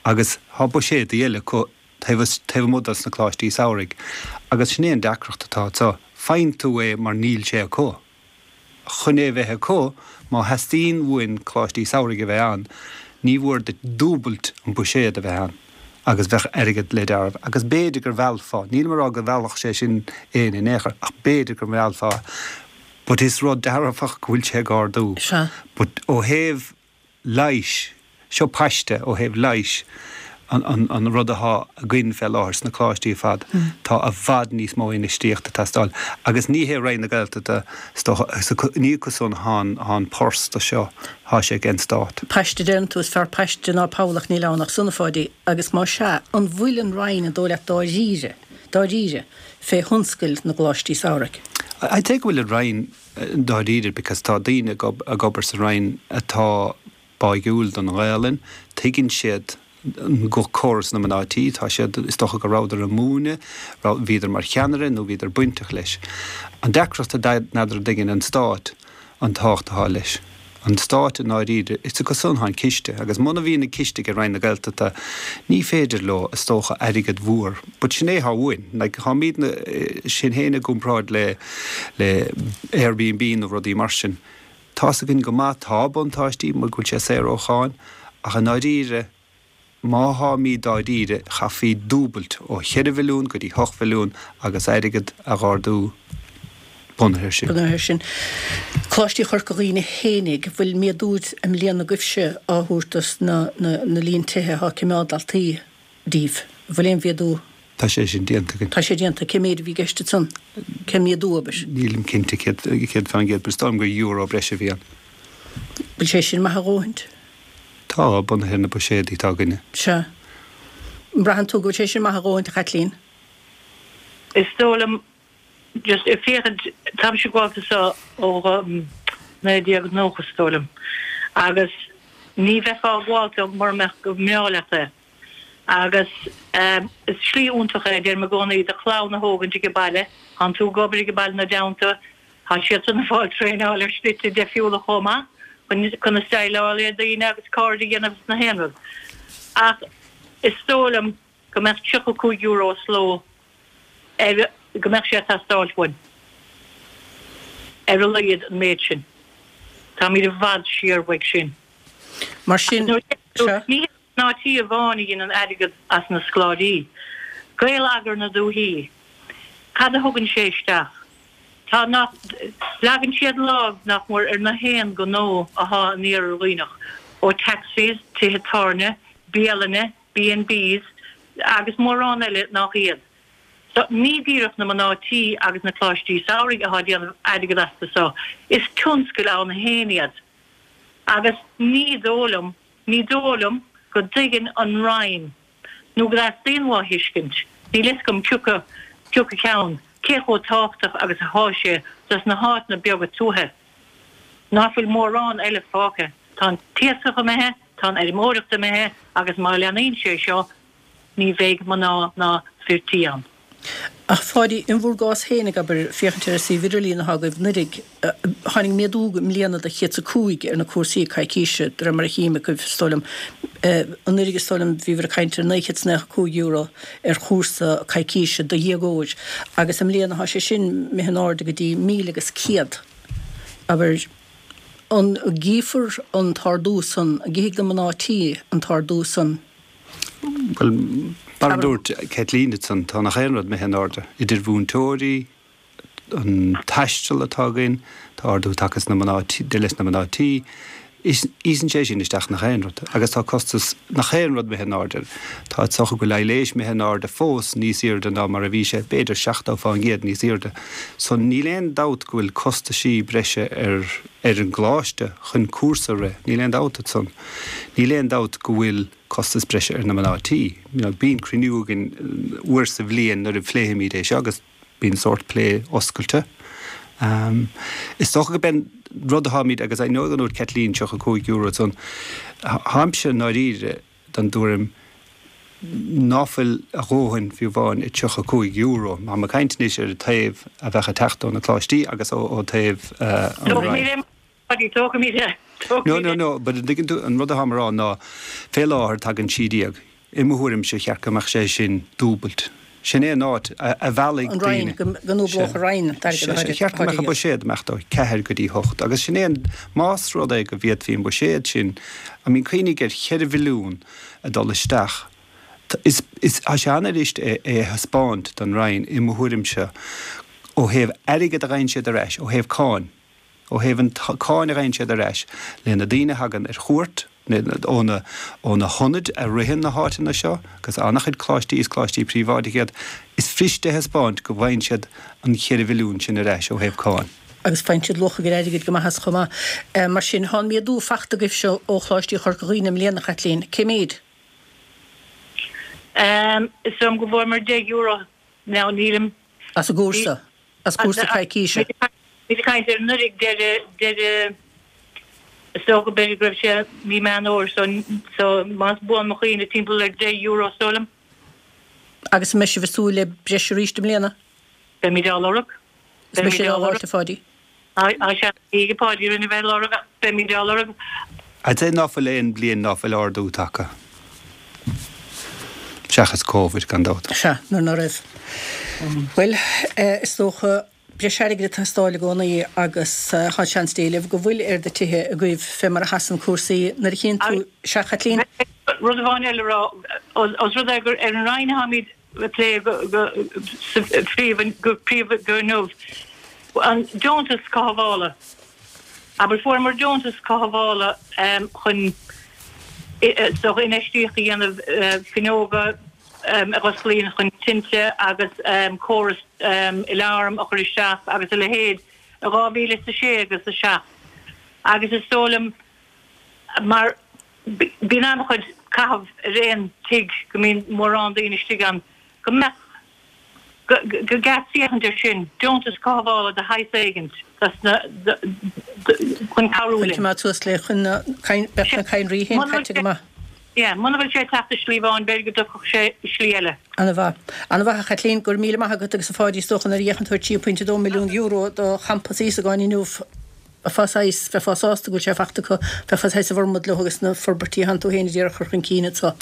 agus thá buiséadaí eile acu taobh taobh amuigh dos na coláistí samhraidh agus sin é an deacracht atá anso. Faigheann tú é mar níl sé acu. Chun é a bheith acu, má theastaíonn uainn coláistí samhraidh a bheith ann, ní mhór duit dúbailt an buiséad a bheith ann agus bheadh airgead le deáramh. Agus b'fhéidir gur mheallfá, nílim ag rá go mheallfadh sé sin éinne in aon chor, ach b'fhéidir go meallfá. But is rud dearfach go bhfuil sé ag ardú. Sea. But ó thaobh leighis, seo paiste ó thaobh leighis, an, an, an rud athá againn fé láthair sna coláistí ar fad, tá i bhfad níos mó infheistíochta ag teastáil. Agus ní hé Roinn na Gaeltachta, is dócha, is ní acu san athá an, athá an pors do seo, thá sé ag an Stát. Paiste a deireann tú, is fearr paiste ná poll ach níl ann ach san, a Pháidí. Agus má sea, an bhfuil an Roinn, an dóigh leat, dáiríre, dáiríre, fé thionscal na gcoláistí samhraidh? I'd say go bhfuil an Roinn dáiríre because tá daoine ag obair sa Roinn atá báigiúil don Ghaelainn, tuigeann siad córas na mná tí, tá siad, is dócha go rabhadar ag múineadh, bhíodar mar cheannaire nó bhíodar bainteach leis. An deacracht n'fheadar an dtuigeann an Stát an tábhacht atá leis. An Stát i ndáiríre, is acu san atá an ciste agus muna bhíonn an ciste ag Roinn na Gaeltachta ní féidir leo, is dócha, airgead mhór, but sin é atá uainn, like táimidne, sinn féin i gcomparáid le, le Airbnb nó rudaí mar sin. Tá's againn go maith, tá buntáistí mar go bhfuil sé saor ó cháin, ach i ndáiríre, má tháimid dáiríre, chaithfí dúbailt ó cheithre mhilliún go dtí hocht mhilliún agus airgead a dh'ardú bunaithe air sin. Bunaithe air sin. Coláistí Chorca Dhuibhne fhéinig, bhfuil méadú i mbliana agaibhse á thabhairt dos na na líon tithe atá ag coimeád daltaí díbh? Bhfuil aon mhéadú? Tá sé sin déanta againn. Tá sé déanta. Cé méid a bhí i gceist ansan? Cén méadú, abair? Nílim cinnte céad fán gcéad, but is dóigh liom gur euro breise a bhí ann. Bhfuil sé sin maith a dhóthaint? Tá, bunaithe ar na buiséadaí atá againne. Sea. An mbraitheann tú go bhfuil sé sin maith a dhóthaint, a Chaitlín? Is dóigh liom, just ag féachaint, táimse ag gabháil anso ó naoi déag nócha is dóigh liom, agus ní bheifeá ag gabháil dó mura mbeadh go mbreá leat é. Agus is slí iontach é, deirim i gcónaí, do chlann a thógaint ag an baile, tánn tú ag obair ag an baile ina dteannta, tá siadsan ag fáil traenáil ar shlite deifriúla chomh maith, conas déileáil le daoine agus cairde a dhéanamh is na haon rud. Ach is dóigh liom go mbeadh tríocha cúig euro sa ló ar, go mbeadh sé ag teastáilt uainn, ar a laghad an méid sin. Táimid i bhfad siar uaidh sin. Mar sin, sea. Ní hé Mná tí amháin a dhéanann airgead as na scoláirí. Gael-eagar na dúichí. Cad a thugann sé isteach? Tá nach, leagann siad lámh nach mór ar na haon ghnó athá in Iarthar Dhuibhneach, ó taxis, tithe tábhairne, bialanna, B and Bs agus mórán eile nach iad. So, ní díreach na mná tí agus na coláistí samhraidh athá ag déanamh airgead astu so, is tionscail ann féin iad. Agus ní dóigh liom Ní dóigh liom go dtuigeann an Roinn, nó go dteastaíonn uathu a thuiscint, níl fhios agam cioca cioca ceann, cé chomh tábhachtach agus athá sé dos na háiteanna beaga tuaithe. Ná fuil mórán eile fágtha. Tá an t-iascach imithe, tá an fheirmeoireacht imithe agus má leanaíonn sé seo ní bheidh mná ná fir tí ann. Ach a Pháidí, in bhur gcás féinig, abair, féachaint ar an suíomh idirlín atá agaibh anuraidh, tháinig méadú i mbliana de chéad 's a cúig ar na cúrsaí coicíse, de réir mar a chím agaibh, is dóigh liom. Anuraidh, is dóigh liom, bhíobhair ag caint ar naoi chéad 's naocha cúig euro ar chúrsa coicíse do dhéagóir, agus i mbliana tá sé sin imithe in airde go dtí míle agus céad. Abair, an gcífear an t-ardú san, an gcífidh na mná tí an t-ardú san? Bhuel, mar a dúirt Caitlín ansan, tá nach aon rud imithe in airde, idir mhúinteoirí, an taisteal atá againn, tá ardú tagtha sna mná tí, leis na mná tí, íosann sé sin isteach nach aon rud agus tá costas nach aon rud imithe in airde. Tá is dócha go bhfuil aibhléis imithe in airde fós níos airde ná mar a bhí sé, b'fhéidir seachtó fán gcéad níos airde. So níl aon dabht go bhfuil costaisí breise ar ar an gcoláiste chun cúrsa a rith, níl aon dabht ansan. Níl aon dabht go bhfuil costas breise ar na mná tí. Bíonn cruinniú againn uair sa bhliain nuair a phléimid é seo agus bíonn sórt plé oscailte. Is dócha go b'é an rud atáimid, agus I know go ndúirt Caitlín tríocha cúig euro ansan, táimse i ndáiríre den dtuairim ná fuil a dhóthain fiú amháin i tríocha cúig euro. Táim ag caint anois ar an taobh a bheadh ag teacht ó na coláistí agus ó taobh an Roinn. No, no, no, but an dtuigeann tú, an rud atáim a rá ná fé láthair tagann trí déag. I mo thuairimse cheart go mbeadh sé sin dúbailt. Sin é an áit a mheallfaidh An Roinn, daoine. go ndúblódh an Roinn an t-airgead Sea, cheart go mbeadh an buiséad amach ó ceathair go dtí hocht agus sin é an, más rud é go bhféadfaí an buiséad sin, I mean cuimhnigh ar cheithre mhilliún ag dul isteach, is, is, tá sé an-fhuirist é a thaispeáint don Roinn i mo thuairimse ó thaobh airgead a gheibheann siad ar ais, ó thaobh cáin. Ó thaobh an cáin a gheibheann siad ar ais le na daoine a thagann ar chuairt ó na ó na hionaid a ritheann na háiteanna seo, agus an-chuid coláistí, is coláistí príobháideacha iad, is fuirist a thaispeáint go bhfaigheann siad an cheithre mhilliún sin ar ais ó thaobh cáin. Agus faigheann siad luach a gcuid airgid go maith as chomh maith. Mar sin, thá an méadú fachta agaibhse ó Choláistí Chorca Dhuibhne i mbliana, a Chaitlín. Cé méid? Is dóigh liom go bhfuaireamar deich euro now, nílim. As an gcúrsa? As cúrsa coicíse? Bhí ag caint ar anuraidh deireadh deireadh is dócha b'fhéidir go raibh sé mí Meán Fhómhair so so más buan mo chuimhne timpeall ar deich euro is dóigh liom. Agus an mbeidh sibh ag súil le breis arís i mbliana? Beimid á lorg. Is beidh siad á lorg, a Pháidí. Tá sé ag Páidí rinne bheith lorg ach beimid á lorg. I'd say ná fuil aon bhliain ná fuil ardú tagtha. Seachas Covid gan dabht. Sea, nuair ná raibh. Bhuel, is dócha breis airgid ag teastáil i gcónaí agus tá seans d'éileamh go bhfuil ar do tithe agaibh fé mar a sheasann cúrsaí nuair a chíonn tú. Sea, Chaitlín? Rud amháin eile a rá, os rud é gur ar an Roinn atáimid ag plé go príomha go príomha go inniu, an deontas cothabhála, abair fuaireamar deontas cothabhála chun is dócha infheistíocht a dhéanamh fuinneoga, a dh'osclaíonn chun tinte agus córas alarm a chur isteach agus a leithéid i dhá mhíle is a sé agus a seacht agus is dóigh liom mar bíonn an-chuid caitheamh ar aon tigh go mbíonn mórán daoine istigh ann go mbeadh go gceart féachaint air sin, deontas cothabhála de shaghas éigint dos na chun cabhrú Chun linn. coimeád suas le chun na beadh na cadhnraí féin caite go maith. Yeah, muna bhfuil sé ag teacht i slí amháin, b'fhéidir go dtiocfadh sé i slí eile. Ana-mhaith. Ana-mhaith, a Chaitlín. Go raibh míle maith agat agus a Pháidí, is dócha nuair a fhéachann tú ar trí pointe dó milliún euro do champas Íosagáin inniu, bheifeá saghas, bheifeá sásta go bhfuil sé fachta acu, bheifeá saghas i bhformad leo agus na forbairtí a thánn tú féin a d'iarraidh a chur chun cinn anseo.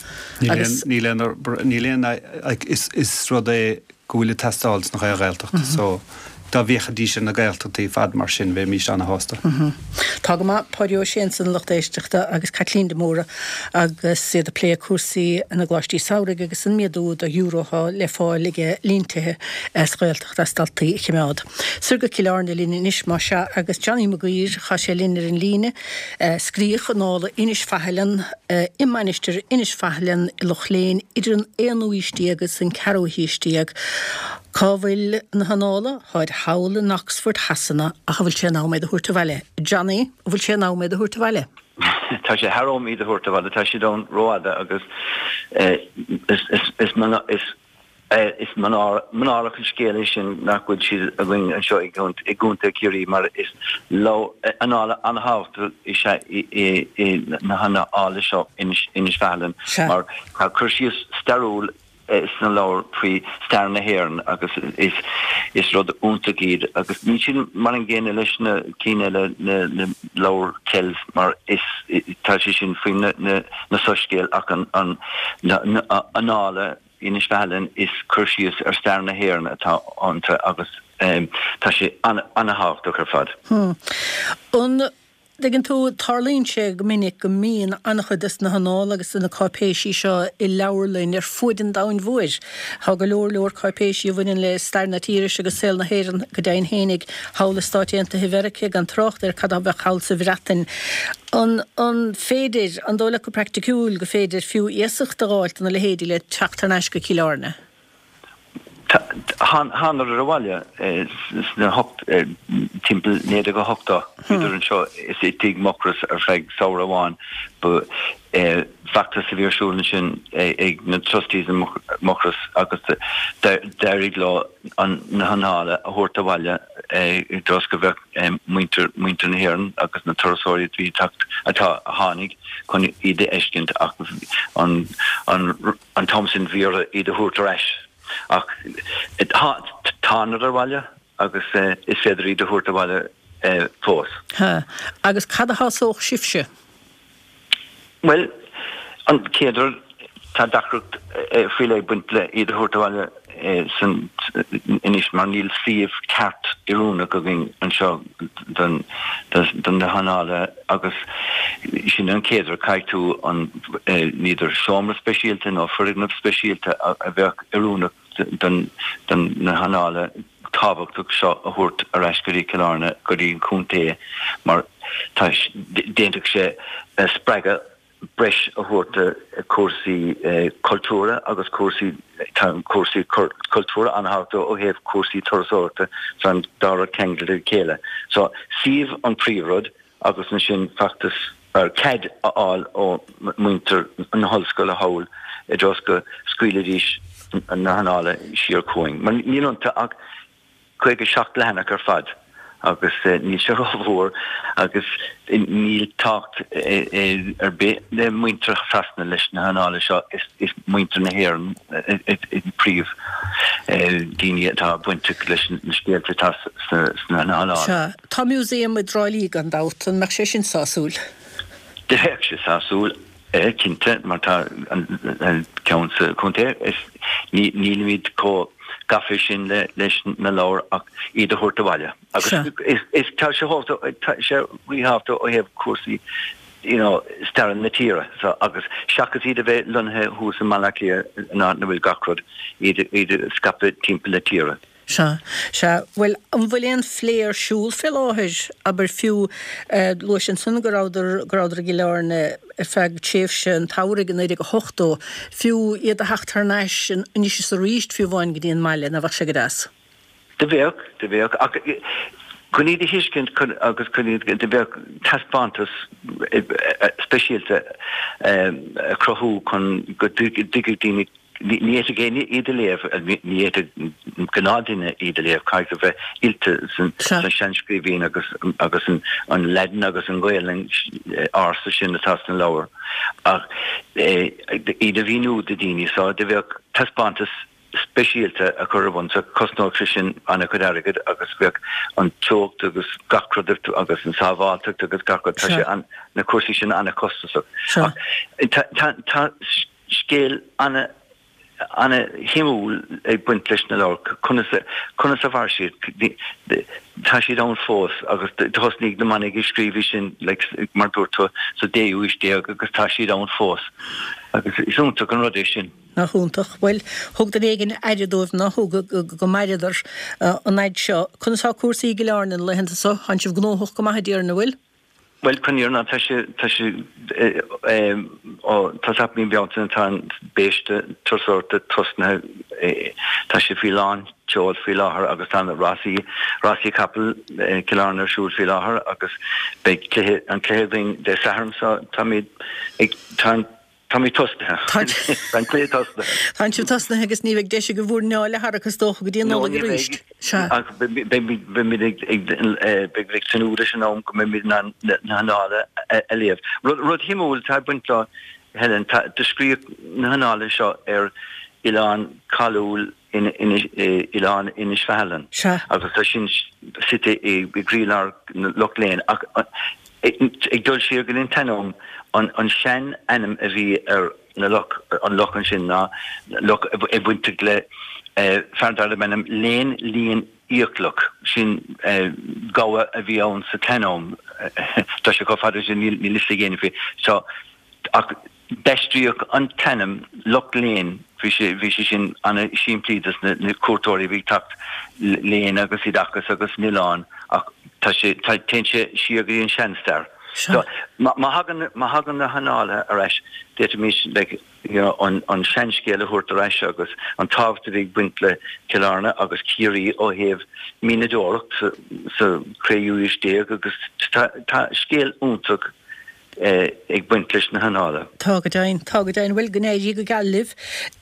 Níl aon, Agus. níl aon, níl aon, like, is, is rud é go bhfuil ag teastáil sna Ghaeltachtaí so dá bhféachfaidís ar na Gaeltachtaí ar fad mar sin bheimís ana-shásta. Tá go maith, Páidí Ó Sé ansan a lucht éisteachta agus Caitlín de Mórdha agus iad ag plé cúrsaí na gcoláistí samhraidh agus an méadú de euro atá le fáil ag líon tithe sa Ghaeltacht as daltaí a chimeád. Soir go Cill Airne linn anois más ea agus Johnny Mac Guidhir, tá sé linn ar an líne. Scríodh Annála Inis Faithleann i Mainistir Inis Faithleann i Loch Léin idir an aonú haois déag agus an ceathrú haois déag. Cá bhfuil na hannála? Táid thall in Oxford Shasana ach an bhfuil sé in am iad a thabhairt abhaile? Johnny, an bhfuil sé in am iad a thabhairt abhaile? Tá sé thar am iad a thabhairt abhaile. Tá siad ann rófhada agus is is manáireach an scéal é sin nach bhfuil siad againn anseo i gContae Chiarraí mar is annála an-thábhachtach is ea na hannála seo Inis Faithleann mar tá cur síos stairiúil sna leabhair faoi stair na hÉireann agus is is rud iontach iad agus níl siad mar an gcéanna leis na cinn eile na na leabhair Kells mar is tá sé sin faoi na na na soiscéil ach an an na na annála Inis Faithleann is cur síos ar stair na hÉireann atá iontu agus tá sé an ana-thábhachtach ar fad. An dtuigeann tú, tarlaíonn sé go minic go mbíonn an-chuid de na hannála agus de na cáipéisí seo i leabharlainn ar fuaid an domhain mhóir. Tá go leor leor cáipéisí a bhaineann le stair na tíre seo agus saol na hÉireann go deimhin fhéinig thall i Stáit Aontaithe Mheiriceá, gan trácht ar cad a bheadh thall sa Bhreatain. An an féidir, an dóigh leat go praiticiúil go féidir fiú iasacht a dh'fháilt do na leithéidí le teacht thar n-ais go Cill Airne? Thánadar abhaile sna hocht, timpeall naoi déag a hochtó. Bhíodar anseo is i dTigh Mucrois ar feadh samhradh amháin. Ba feachtas a bhí ar siúl ansin ag na Trustees i Mucrois agus d'éirigh leo na hannála a thabhairt abhaile i dtreo go bheadh muintir muintir na hÉireann agus na turasóirí a bhí ag teacht, atá, a tháinig chun iad a fheiscint ach an an t-am sin bhí orthu iad a thabhairt ar ais. Ach thánadar abhaile agus is féidir iad a thabhairt abhaile fós. Ha. Agus cad a shásódh sibhse? Bhuel, an chéad rud, tá deacracht faoi leith ag baint le iad a thabhairt abhaile san anois mar níl suíomh ceart oiriúnach againn anseo don do na hannála agus sin an chéad rud, caithfidh tú an n'fheadar seomra speisialta nó foirgneamh speisialta a bheadh oiriúnach don don na hannála tábhachtach seo a thabhairt ar ais go dtí Cill Airne, go dtí an contae mar tá d'fhéadfadh sé spreagadh breis a thabhairt do chúrsaí cultúrtha agus cúrsaí, tá cúrsaí cultúrtha an-tábhachtach ó thaobh cúrsaí turasóireachta, tá an dá rud ceangailte le chéile. So, suíomh an príomhrud agus ansin feachtas ar cead a fháil ó mhuintir na hollscoile thall i dtreo go scaoilfidís na hannála siar chugainn. Mar níl iontu ach caoga seacht leathanach ar fad agus níl sé rómhór agus níl tábhacht ar bith le muintir Shasana leis na hannála seo, is muintir na hÉireann an príomh daoine atá bainteach leis na scéalta atá sna hannála. Sea, tá museum i dTrá Lí gan dabht, an mbeadh sé sin sásúil? Bheadh sé sásúil. Cinnte, mar tá an ceann sa chontae, is nílimid chomh gafa sin leis na leabhair ach iad a thabhairt abhaile. Agus is tá sé tá sé ríthábhachtach ó thaobh cúrsaí you know stair na tíre so agus seachas iad a bheith lonnaithe thuas i mBaile Átha Cliath in áit ina bhfuil gach rud, iad iad a scaipeadh timpeall na tíre. Sea, sea. Bhuel, an bhfuil aon phlé ar siúl fé láthair, abair, fiú, luais ansan go rabhadar, go rabhadar i gCill Airne ar feadh tréimhse an tsamhraidh i naoi déag a hochtó, fiú iad a theacht thar n-ais anois is arís fiú amháin go dtí an mbaile, nach bheadh sé go deas? Do bheadh, do bheadh, ach chun iad a thuiscint agus chun iad, do bheadh taispeántas speisialta a chruthú chun go dtuigfeadh daoine Ní fhéadfadh éinne iad a léamh, ní fhéadfadh gnáthdhuine iad a léamh, caithfidh tú bheith oilte san seanscríbhinn agus agus an Laidin agus an Ghaelainn ársa sin atá sna leabhair ach iad a mhíniú do dhaoine. So do bheadh taispeántas speisialta a chur ar bun so chosnódh sé sin an-chuid airgid agus bheadh an teocht agus gach rud agus an sábháilteacht agus gach rud, tá sé an, na cúrsaí sin an-chostasach. Ach tá, tá, Scéal ana ana shuimiúil ag baint leis na leabhair, conas a conas a mhair siad, tá siad ann fós agus thosnaigh na manaigh ag scríobh sin like mar dúirt tú sa déú aois déag agus tá siad ann fós agus is iontach an rud é sin. Nach iontach. Bhuel, thug duine éigin aire dóibh, nár thug, go maireadar an fhaid seo. Conas tá cúrsaí i gCill Airne na laethanta seo? Tánn sibh gnóthach go maith a déarfainn, an bhfuil? Bhuel, chun an fhírinne, tá sé, tá sé, ó tosach mí Bealtaine tá an biaiste turasóireachta tosnaithe, tá sé faoi lán tseoil faoi láthair agus tá na rásaí, rásaí capall Cill Airne ar siúl faoi láthair agus beidh cluiche, an cluiche againn Dé Sathairn so táimid ag, tá an. Táimid tosnaithe. Tá an cluiche tosnaithe. Tá sibh tosnaithe agus ní bheidh deis agaibh bhur n-anáil a tharrac is dócha go dtí an No, Nollaig ní arís. bheidh. Sea. Ach beimid ag beimid ag tnúth leis an am go mbeimid in ann na hannála a léamh. Rud rud shuimiúil atá ag baint leo, Helen, tá do scríobhadh na hannála seo ar oileán cáiliúil in Oileán Inis Faithlinn Sea. agus tá sin suite i gcroílár Loch Léin ach ag dul siar go dtí an tsean-am, an sean-ainm a bhí ar na loch, an loch ansin ná loch ag bainteach le fear darbh ainm Léin Líon Fhiaclach, sin gabha a bhí ann sa tsean-am, tá sé chomh fada sin níl fhios ag éinne faoi, so ach d'aistríodh an t-ainm Loch Léin, bhí sé bhí sé sin ana-shimplí dos na na cuairteoirí a bhí ag teacht léin agus oideachas agus an oileán ach tá sé tá téann sé siar go dtí an seanstair. So má má thagann má thagann na hannálaithe ar ais d'fhéadfaimis like you know an an seanscéal a thabhairt ar ais agus an tábhacht a bhí ag baint le Cill Airne agus Ciarraí ó thaobh mianadóireacht sa sa séú haois déag agus tá tá scéal iontach ag baint leis na hannála. Tá go deimhin, tá go deimhin. Bhuel, go n-éirí go geal libh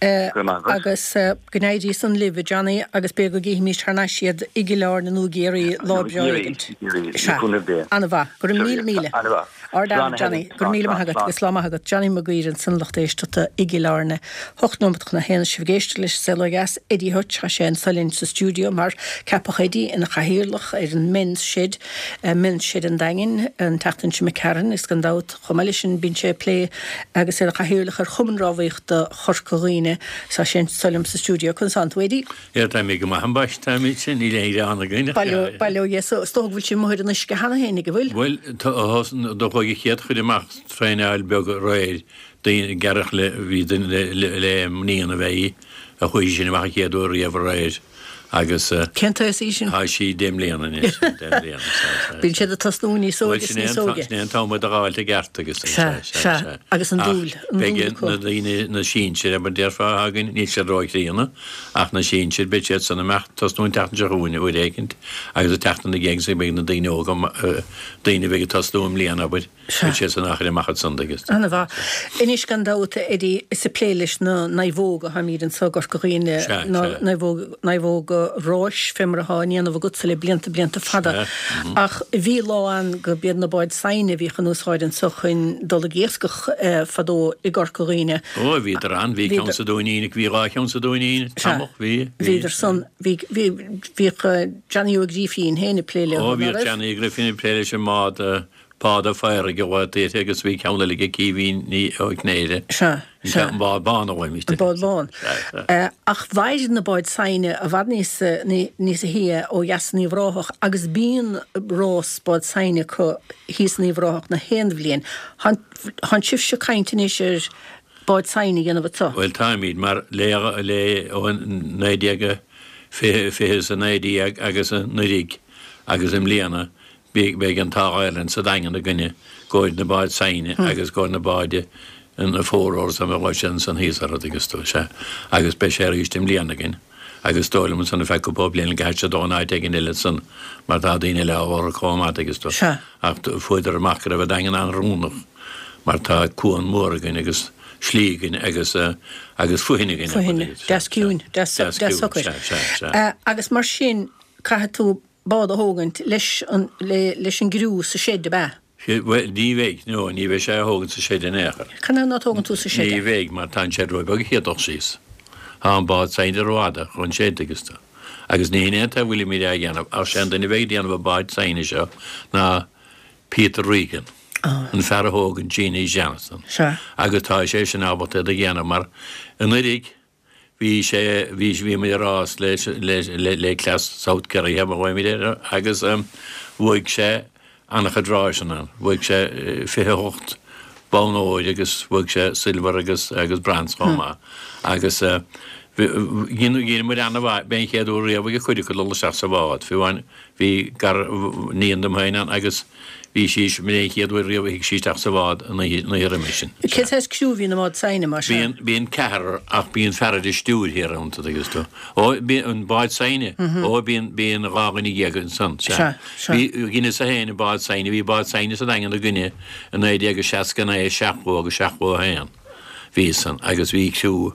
Go raibh maith agat. agus go n-éirí san libh, a Johnny, agus b'fhéidir go gcífimís thar n-ais iad i gCill Airne nó i gCiarraí lá Nó i breá gCiarraí, éigint. i gCiarraí, le Sea. cúnamh Dé. An-mhaith. Go raibh míle míle. An-mhaith. Ard-aire, Slán a Johnny. Helen. Go raibh Slán, míle maith slán, agat slán. agus lá maith agat. Johnny Mac Guiry ansan lucht éisteachta i gCill Airne. Hocht nóimeat chun a haon sibh ag éisteacht leis an Saol Ó Dheas. Eddie Hutch, tá sé anso linn sa stiúideo mar ceapadh Eddie ina chathaoirleach ar an Men's Shed, Men's Shed an Daingin an tseachtain seo imigh tharainn is gan dabht chomh maith leis sin bíonn sé ag plé agus é ina chathaoirleach ar Chumann Rámhaíochta Chorca Dhuibhne. Tá sé anso liom sa stiúideo. Conas tánn tú Eddie? Yeah, tá mé go maith ambaist, táimid sin, níl aon ghearán againn ach Bail ó bail ó Dhia so is dócha go bhfuil sibh amuigh ar an uisce cheana féin ag an bhfuil? Bhuel, tá do chuaigh an chéad chuid amach traenáil beag aréir, daoine gearrach le bhí duine le le le mbliana a bheith í, a chuaigh sin amach an chéad uair riamh aréir. Agus Cén t-aois í sin? Tá sí deich mbliana anois, deich mbliana, sea, sea, Bíonn siad ag tosnú níos Bhuel, óige is sin é níos an óige. sin é an t-am iad a dh'fháilt i gceart agus Sea, sea, sea, sea, sea. agus an Ach dúil, an dúil beidh acu. na daoine, na sinsir, mar déarfá againn, níl siad róchríonna, ach na sinsir, beidh siad san amach tosnú an tseachtain seo chugainn uair éicint agus an tseachtain ina dhiaidh sin beidh na daoine óga, daoine a bheidh ag tosnú i mbliana, abair, Sea. beidh siad san á chur amach ansan agus. Ana-mhaith. Anois gan dabht, Eddie, is ag plé leis na naomhóga atáimid anso i gCorca Dhuibhne, Sea, na sea. naomhóga, naomhóga ráis fé mar atá á ndéanamh agatsa le blianta, blianta fada. Sea, mhm. Ach bhí lá ann go b'iad na báid saighne a bhíodh in úsáid anso chun dul ag iascach fadó i gCorca Dhuibhne. Ó, bhíodar ann, bhí ceann Bhíodar. sa Dúinín, bhí dhá cheann sa Dúinín, Sea. tamall, bhí, bhí. Bhíodar san, bhí, bhí, bhíodh Johnny Ó Grífín féin ag plé leo, Ó, ná bhíodh raibh? Johnny Ó Grífín ag plé leis an mbád, Páda Phádraig a bhfuil uirthi agus bhí ceann eile aige Caoimhín Ní Ó Cnéire. Sea, sea. An bád bán a bhfuil An bád bán. Sea, sea. Ach mhair na báid saighne i bhfad níos, níos shia ó dheas in Uíbh Ráthach agus bíonn rás bád saighne acu thíos in Uíbh Ráthach na haon bhliain. Tánn sibhse ag caint anois ar bád saighne a dhéanamh anseo. Bhuel táimid mar le le ó naoi déag fiche fiche is a naoi déag agus anuraidh agus i mbliana Beidh an t-ádh orainn sa Daingean againne go bhfuil na báid saighne agus go bhfuil na báid na four-oars a bhfuil siad ansan thíos orthu agus tú, sea. Agus beidh sé arís i mbliana againn agus is dóigh liom ansan ar feadh cúpla bliain go gcaithfidh sé dul in áit éigin eile ansan mar tá daoine eile á lorg chomh maith agus tú. Sea. Ach fuaireadar amach go raibh an Daingean an-oiriúnach mar tá cuan mór againn agus slí againn agus agus fothain againn. Fothain, deas ciúin, deas socair. Sea, sea, sea. Agus mar sin caithfidh tú bád a thógaint leis an, le, leis an gcriú sa seid, ab ea? Bhuel, ní bheidh, no, ní bheidh sé á thógaint sa seid in aon chor. Canathaobh ná tógann tú sa seid Ní é? bheidh, mar tá an seid róbheag a chéad dul síos. Tá an bád saighne rófhada chun seid agus tú. Agus ní hin é an t-a bhfuilimid á dhéanamh, ach sé an duine a bheidh ag déanamh an báid saighne seo ná Peter Regan, an fear a thóg an Jeanie Johnston. Sea. Agus tá sé sin ábalta iad a dhéanamh mar anuraidh, Bhí sé, bhí, bhí muid ag rás le, le, le cleas South Kerry, a bhfuimid air, agus bhuaigh sé an-chuid ráiseanna ann. Bhuaigh sé fiche a hocht bonn óir agus bhuaigh sé silver agus, agus bronze chomh maith. Agus dhein, dhein muid an-mhaith, b'é an chéad uair riamh ag cuid acu dul isteach sa bhád. Fiú amháin bhí gar, níon dom féin ann agus Bhí sí, b'in é an chéad uair riamh a shuigh sí isteach sa bhád an oíche, an oíche roimhe sin. Cén saghas criú a bhíonn i mbád saighne, mar sin? Bíonn, bíonn ceathrar ach bíonn fear ar an stiúir thiar iontu, tuigeann tú. Ó, bíonn, an bád saighne? Ó, bíonn, bíonn dhá dhuine dhéag ansan, sea. Sea, sea. Bhí, dheineas-sa féin an bád saighne, bhí bád saighne sa Daingean againne i naoi déag a seasca naoi, seachtó agus seachtó a haon. Bhí san, agus bhí criú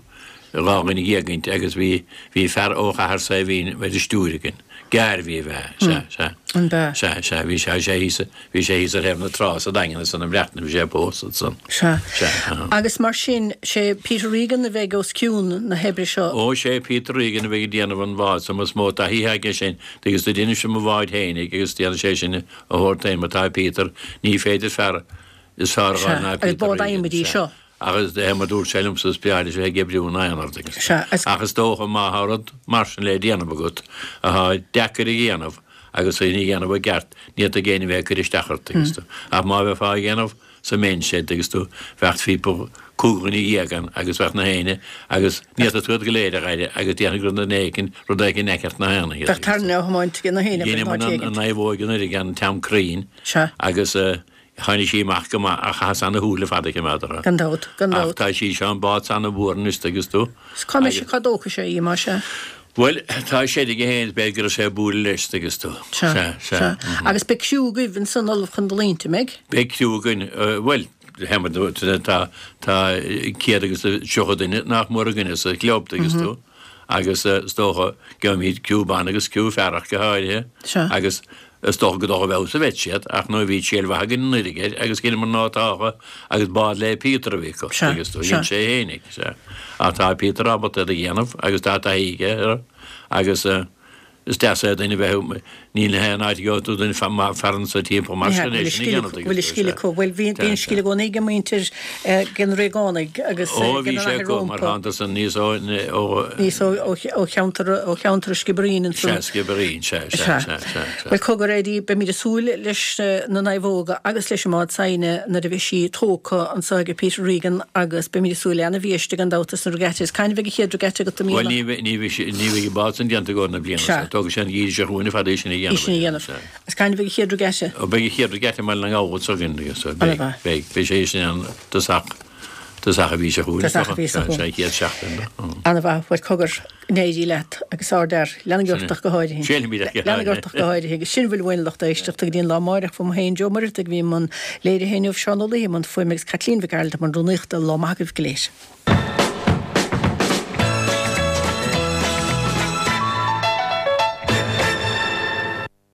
dhá dhuine dhéag inti agus bhí, bhí fear ó Chathair Saidhbhín ar an stiúir againn. Gearr-bhí a bhea, sea, sea. An bea? Sea, sea, bhí sé, sé thíos, bhí sé thíos ar thaobh na trá sa Daingean ansan i mBreatain, bhí sé ag pósadh ansan. Sea. Sea, aha. Agus mar sin, sé Peter Regan a bheidh os cionn na hoibre seo? Ó, sé Peter Regan a bheidh ag déanamh an bhád so, is mó taithí aige sin, agus do dheineas-sa mo bhád fhéinig agus déanfaidh sé sin a shórt féin, mar tá Peter, ní féidir fear is fearr a Sea, fháil ná agus Peter bád Regan, adhmaid í sea. seo. Agus de mar dúirt sé liomsa is breá leis a bheith ag oibriú in aonar, tuigeann tú. Sea, is. Ach is dócha má thá rud mar sin le déanamh agat athá deacair a dhéanamh agus é a dhéanamh i gceart, ní fhéadfadh éinne bheith ag cur isteach ort, tuigeann tú. Ach má bheifeá á dhéanamh sa men's shed, tuigeann tú, bheadh phíopa cúig dhuine dhéag ann agus bheadh na héinne agus ní fhéadfadh tú iad go léir a dh'aire agus déarfainn gur duine éicint, rud éicint in aice na héinne iad, Bheadh tairne á thiomáint ag na héinne in Dheineamar áit an éigint. naomhóg anuraidh an t-am cruinn Sea. agus Tháinig sí amach go maith ach chaitheas ana-shúil fada a choimeád uirthi. Gan dabht, gan Ach dabht. tá sí seo an bád 's ana-mhór anois, tuigeann tú. 'S cá mbeidh sí, cá dtógfaidh sé í, más ea? Bhuel, tá sé aige fhéin, is b'fhéidir go raibh sé ag bualadh leis, tuigeann tú. Sea, Sea, sea. sea. Agus beidh criú agaibh ansan ullamh chun dul inti, an mbeidh? Beidh criú againn, bhuel, tá, tá céad agus tríocha duine nach mór againne sa chlub, tuigeann tú. Agus is dócha gheobhaimid criú ban agus criú fear ach go háirithe. Sea. Agus Is dócha go dócha bheadh sa bheit siad, ach nuair a bhí triail mhaith againn anuraidh air agus dheineamar ná tácha agus bád le Peter a bhí acu, Sea, agus do sea. dhein sé fhéinig, sea. Ach tá Peter ábalta iad a dhéanamh agus tá taithí aige air agus is deas é duine bheith, níl aon áit a gheobhaidh tú duine fear anso timpeall mar Ní hea, sin go é bhfuil a sin a scil dhéanamh, acu, go bhfuil a agus scil sea. acu. Bhuel, bhí, bhí Sea, an scil sea. i gcónaí ag muintir de na Réagánaigh agus Ó, de bhí na sé Athair acu mar rompu. thángthas aníos ó, ó, Aníos ó, ó, ó cheantar, ó cheantar an Sciobairín ansan. Sea, Sciobairín, sea, sea, Sea. sea, sea, sea. Bhuel, cogar, Eddie, beimid ag súil leis na naomhóga agus leis an mbád saighne nuair a bheidh sí tógtha anso ag Peter Regan agus beimid ag súil le ana-bhiaiste gan dabht is na regatta. Is cathain a bheidh an chéad regatta agat i Bhuel, mbliana? ní bheidh, ní bheidh, ní bheidh an bád san déanta i gcomhair na bliana Sea. seo. Tógfaidh sé an geimhreadh seo chugainn ar fad é sin a É dhéanamh. sin a dhéanamh. Sea. Is cathain a bheidh an chéad regatta? Ó, beidh an chéad regatta i mBaile na nGall s'againn, agus Ana beidh, mhaith. beidh, beidh sé sin ann tosach, tosach an mhí seo chugainn, is Tosach dócha. an mhí seo Sea, chugainn. sea, an chéad seachtain de. Mm. Ana mhaith. Bhuel, cogar, go n-éirí leat agus ardfhear. Lean Sin é. ort ach go háirithe. Séanfaimid ach go Lean háirithe. ort ach go háirithe. Agus sin a bhfuil uainn lucht éisteachta go dtí an lá amárach uaim féin Joe Muireadhaigh a bhí i mbun léirithe inniu, Seán Ó Laoi i mbun fuaime agus Caitlín Mhic Gearailt i mbun rúnaíochta. Lá maith agaibh go léir.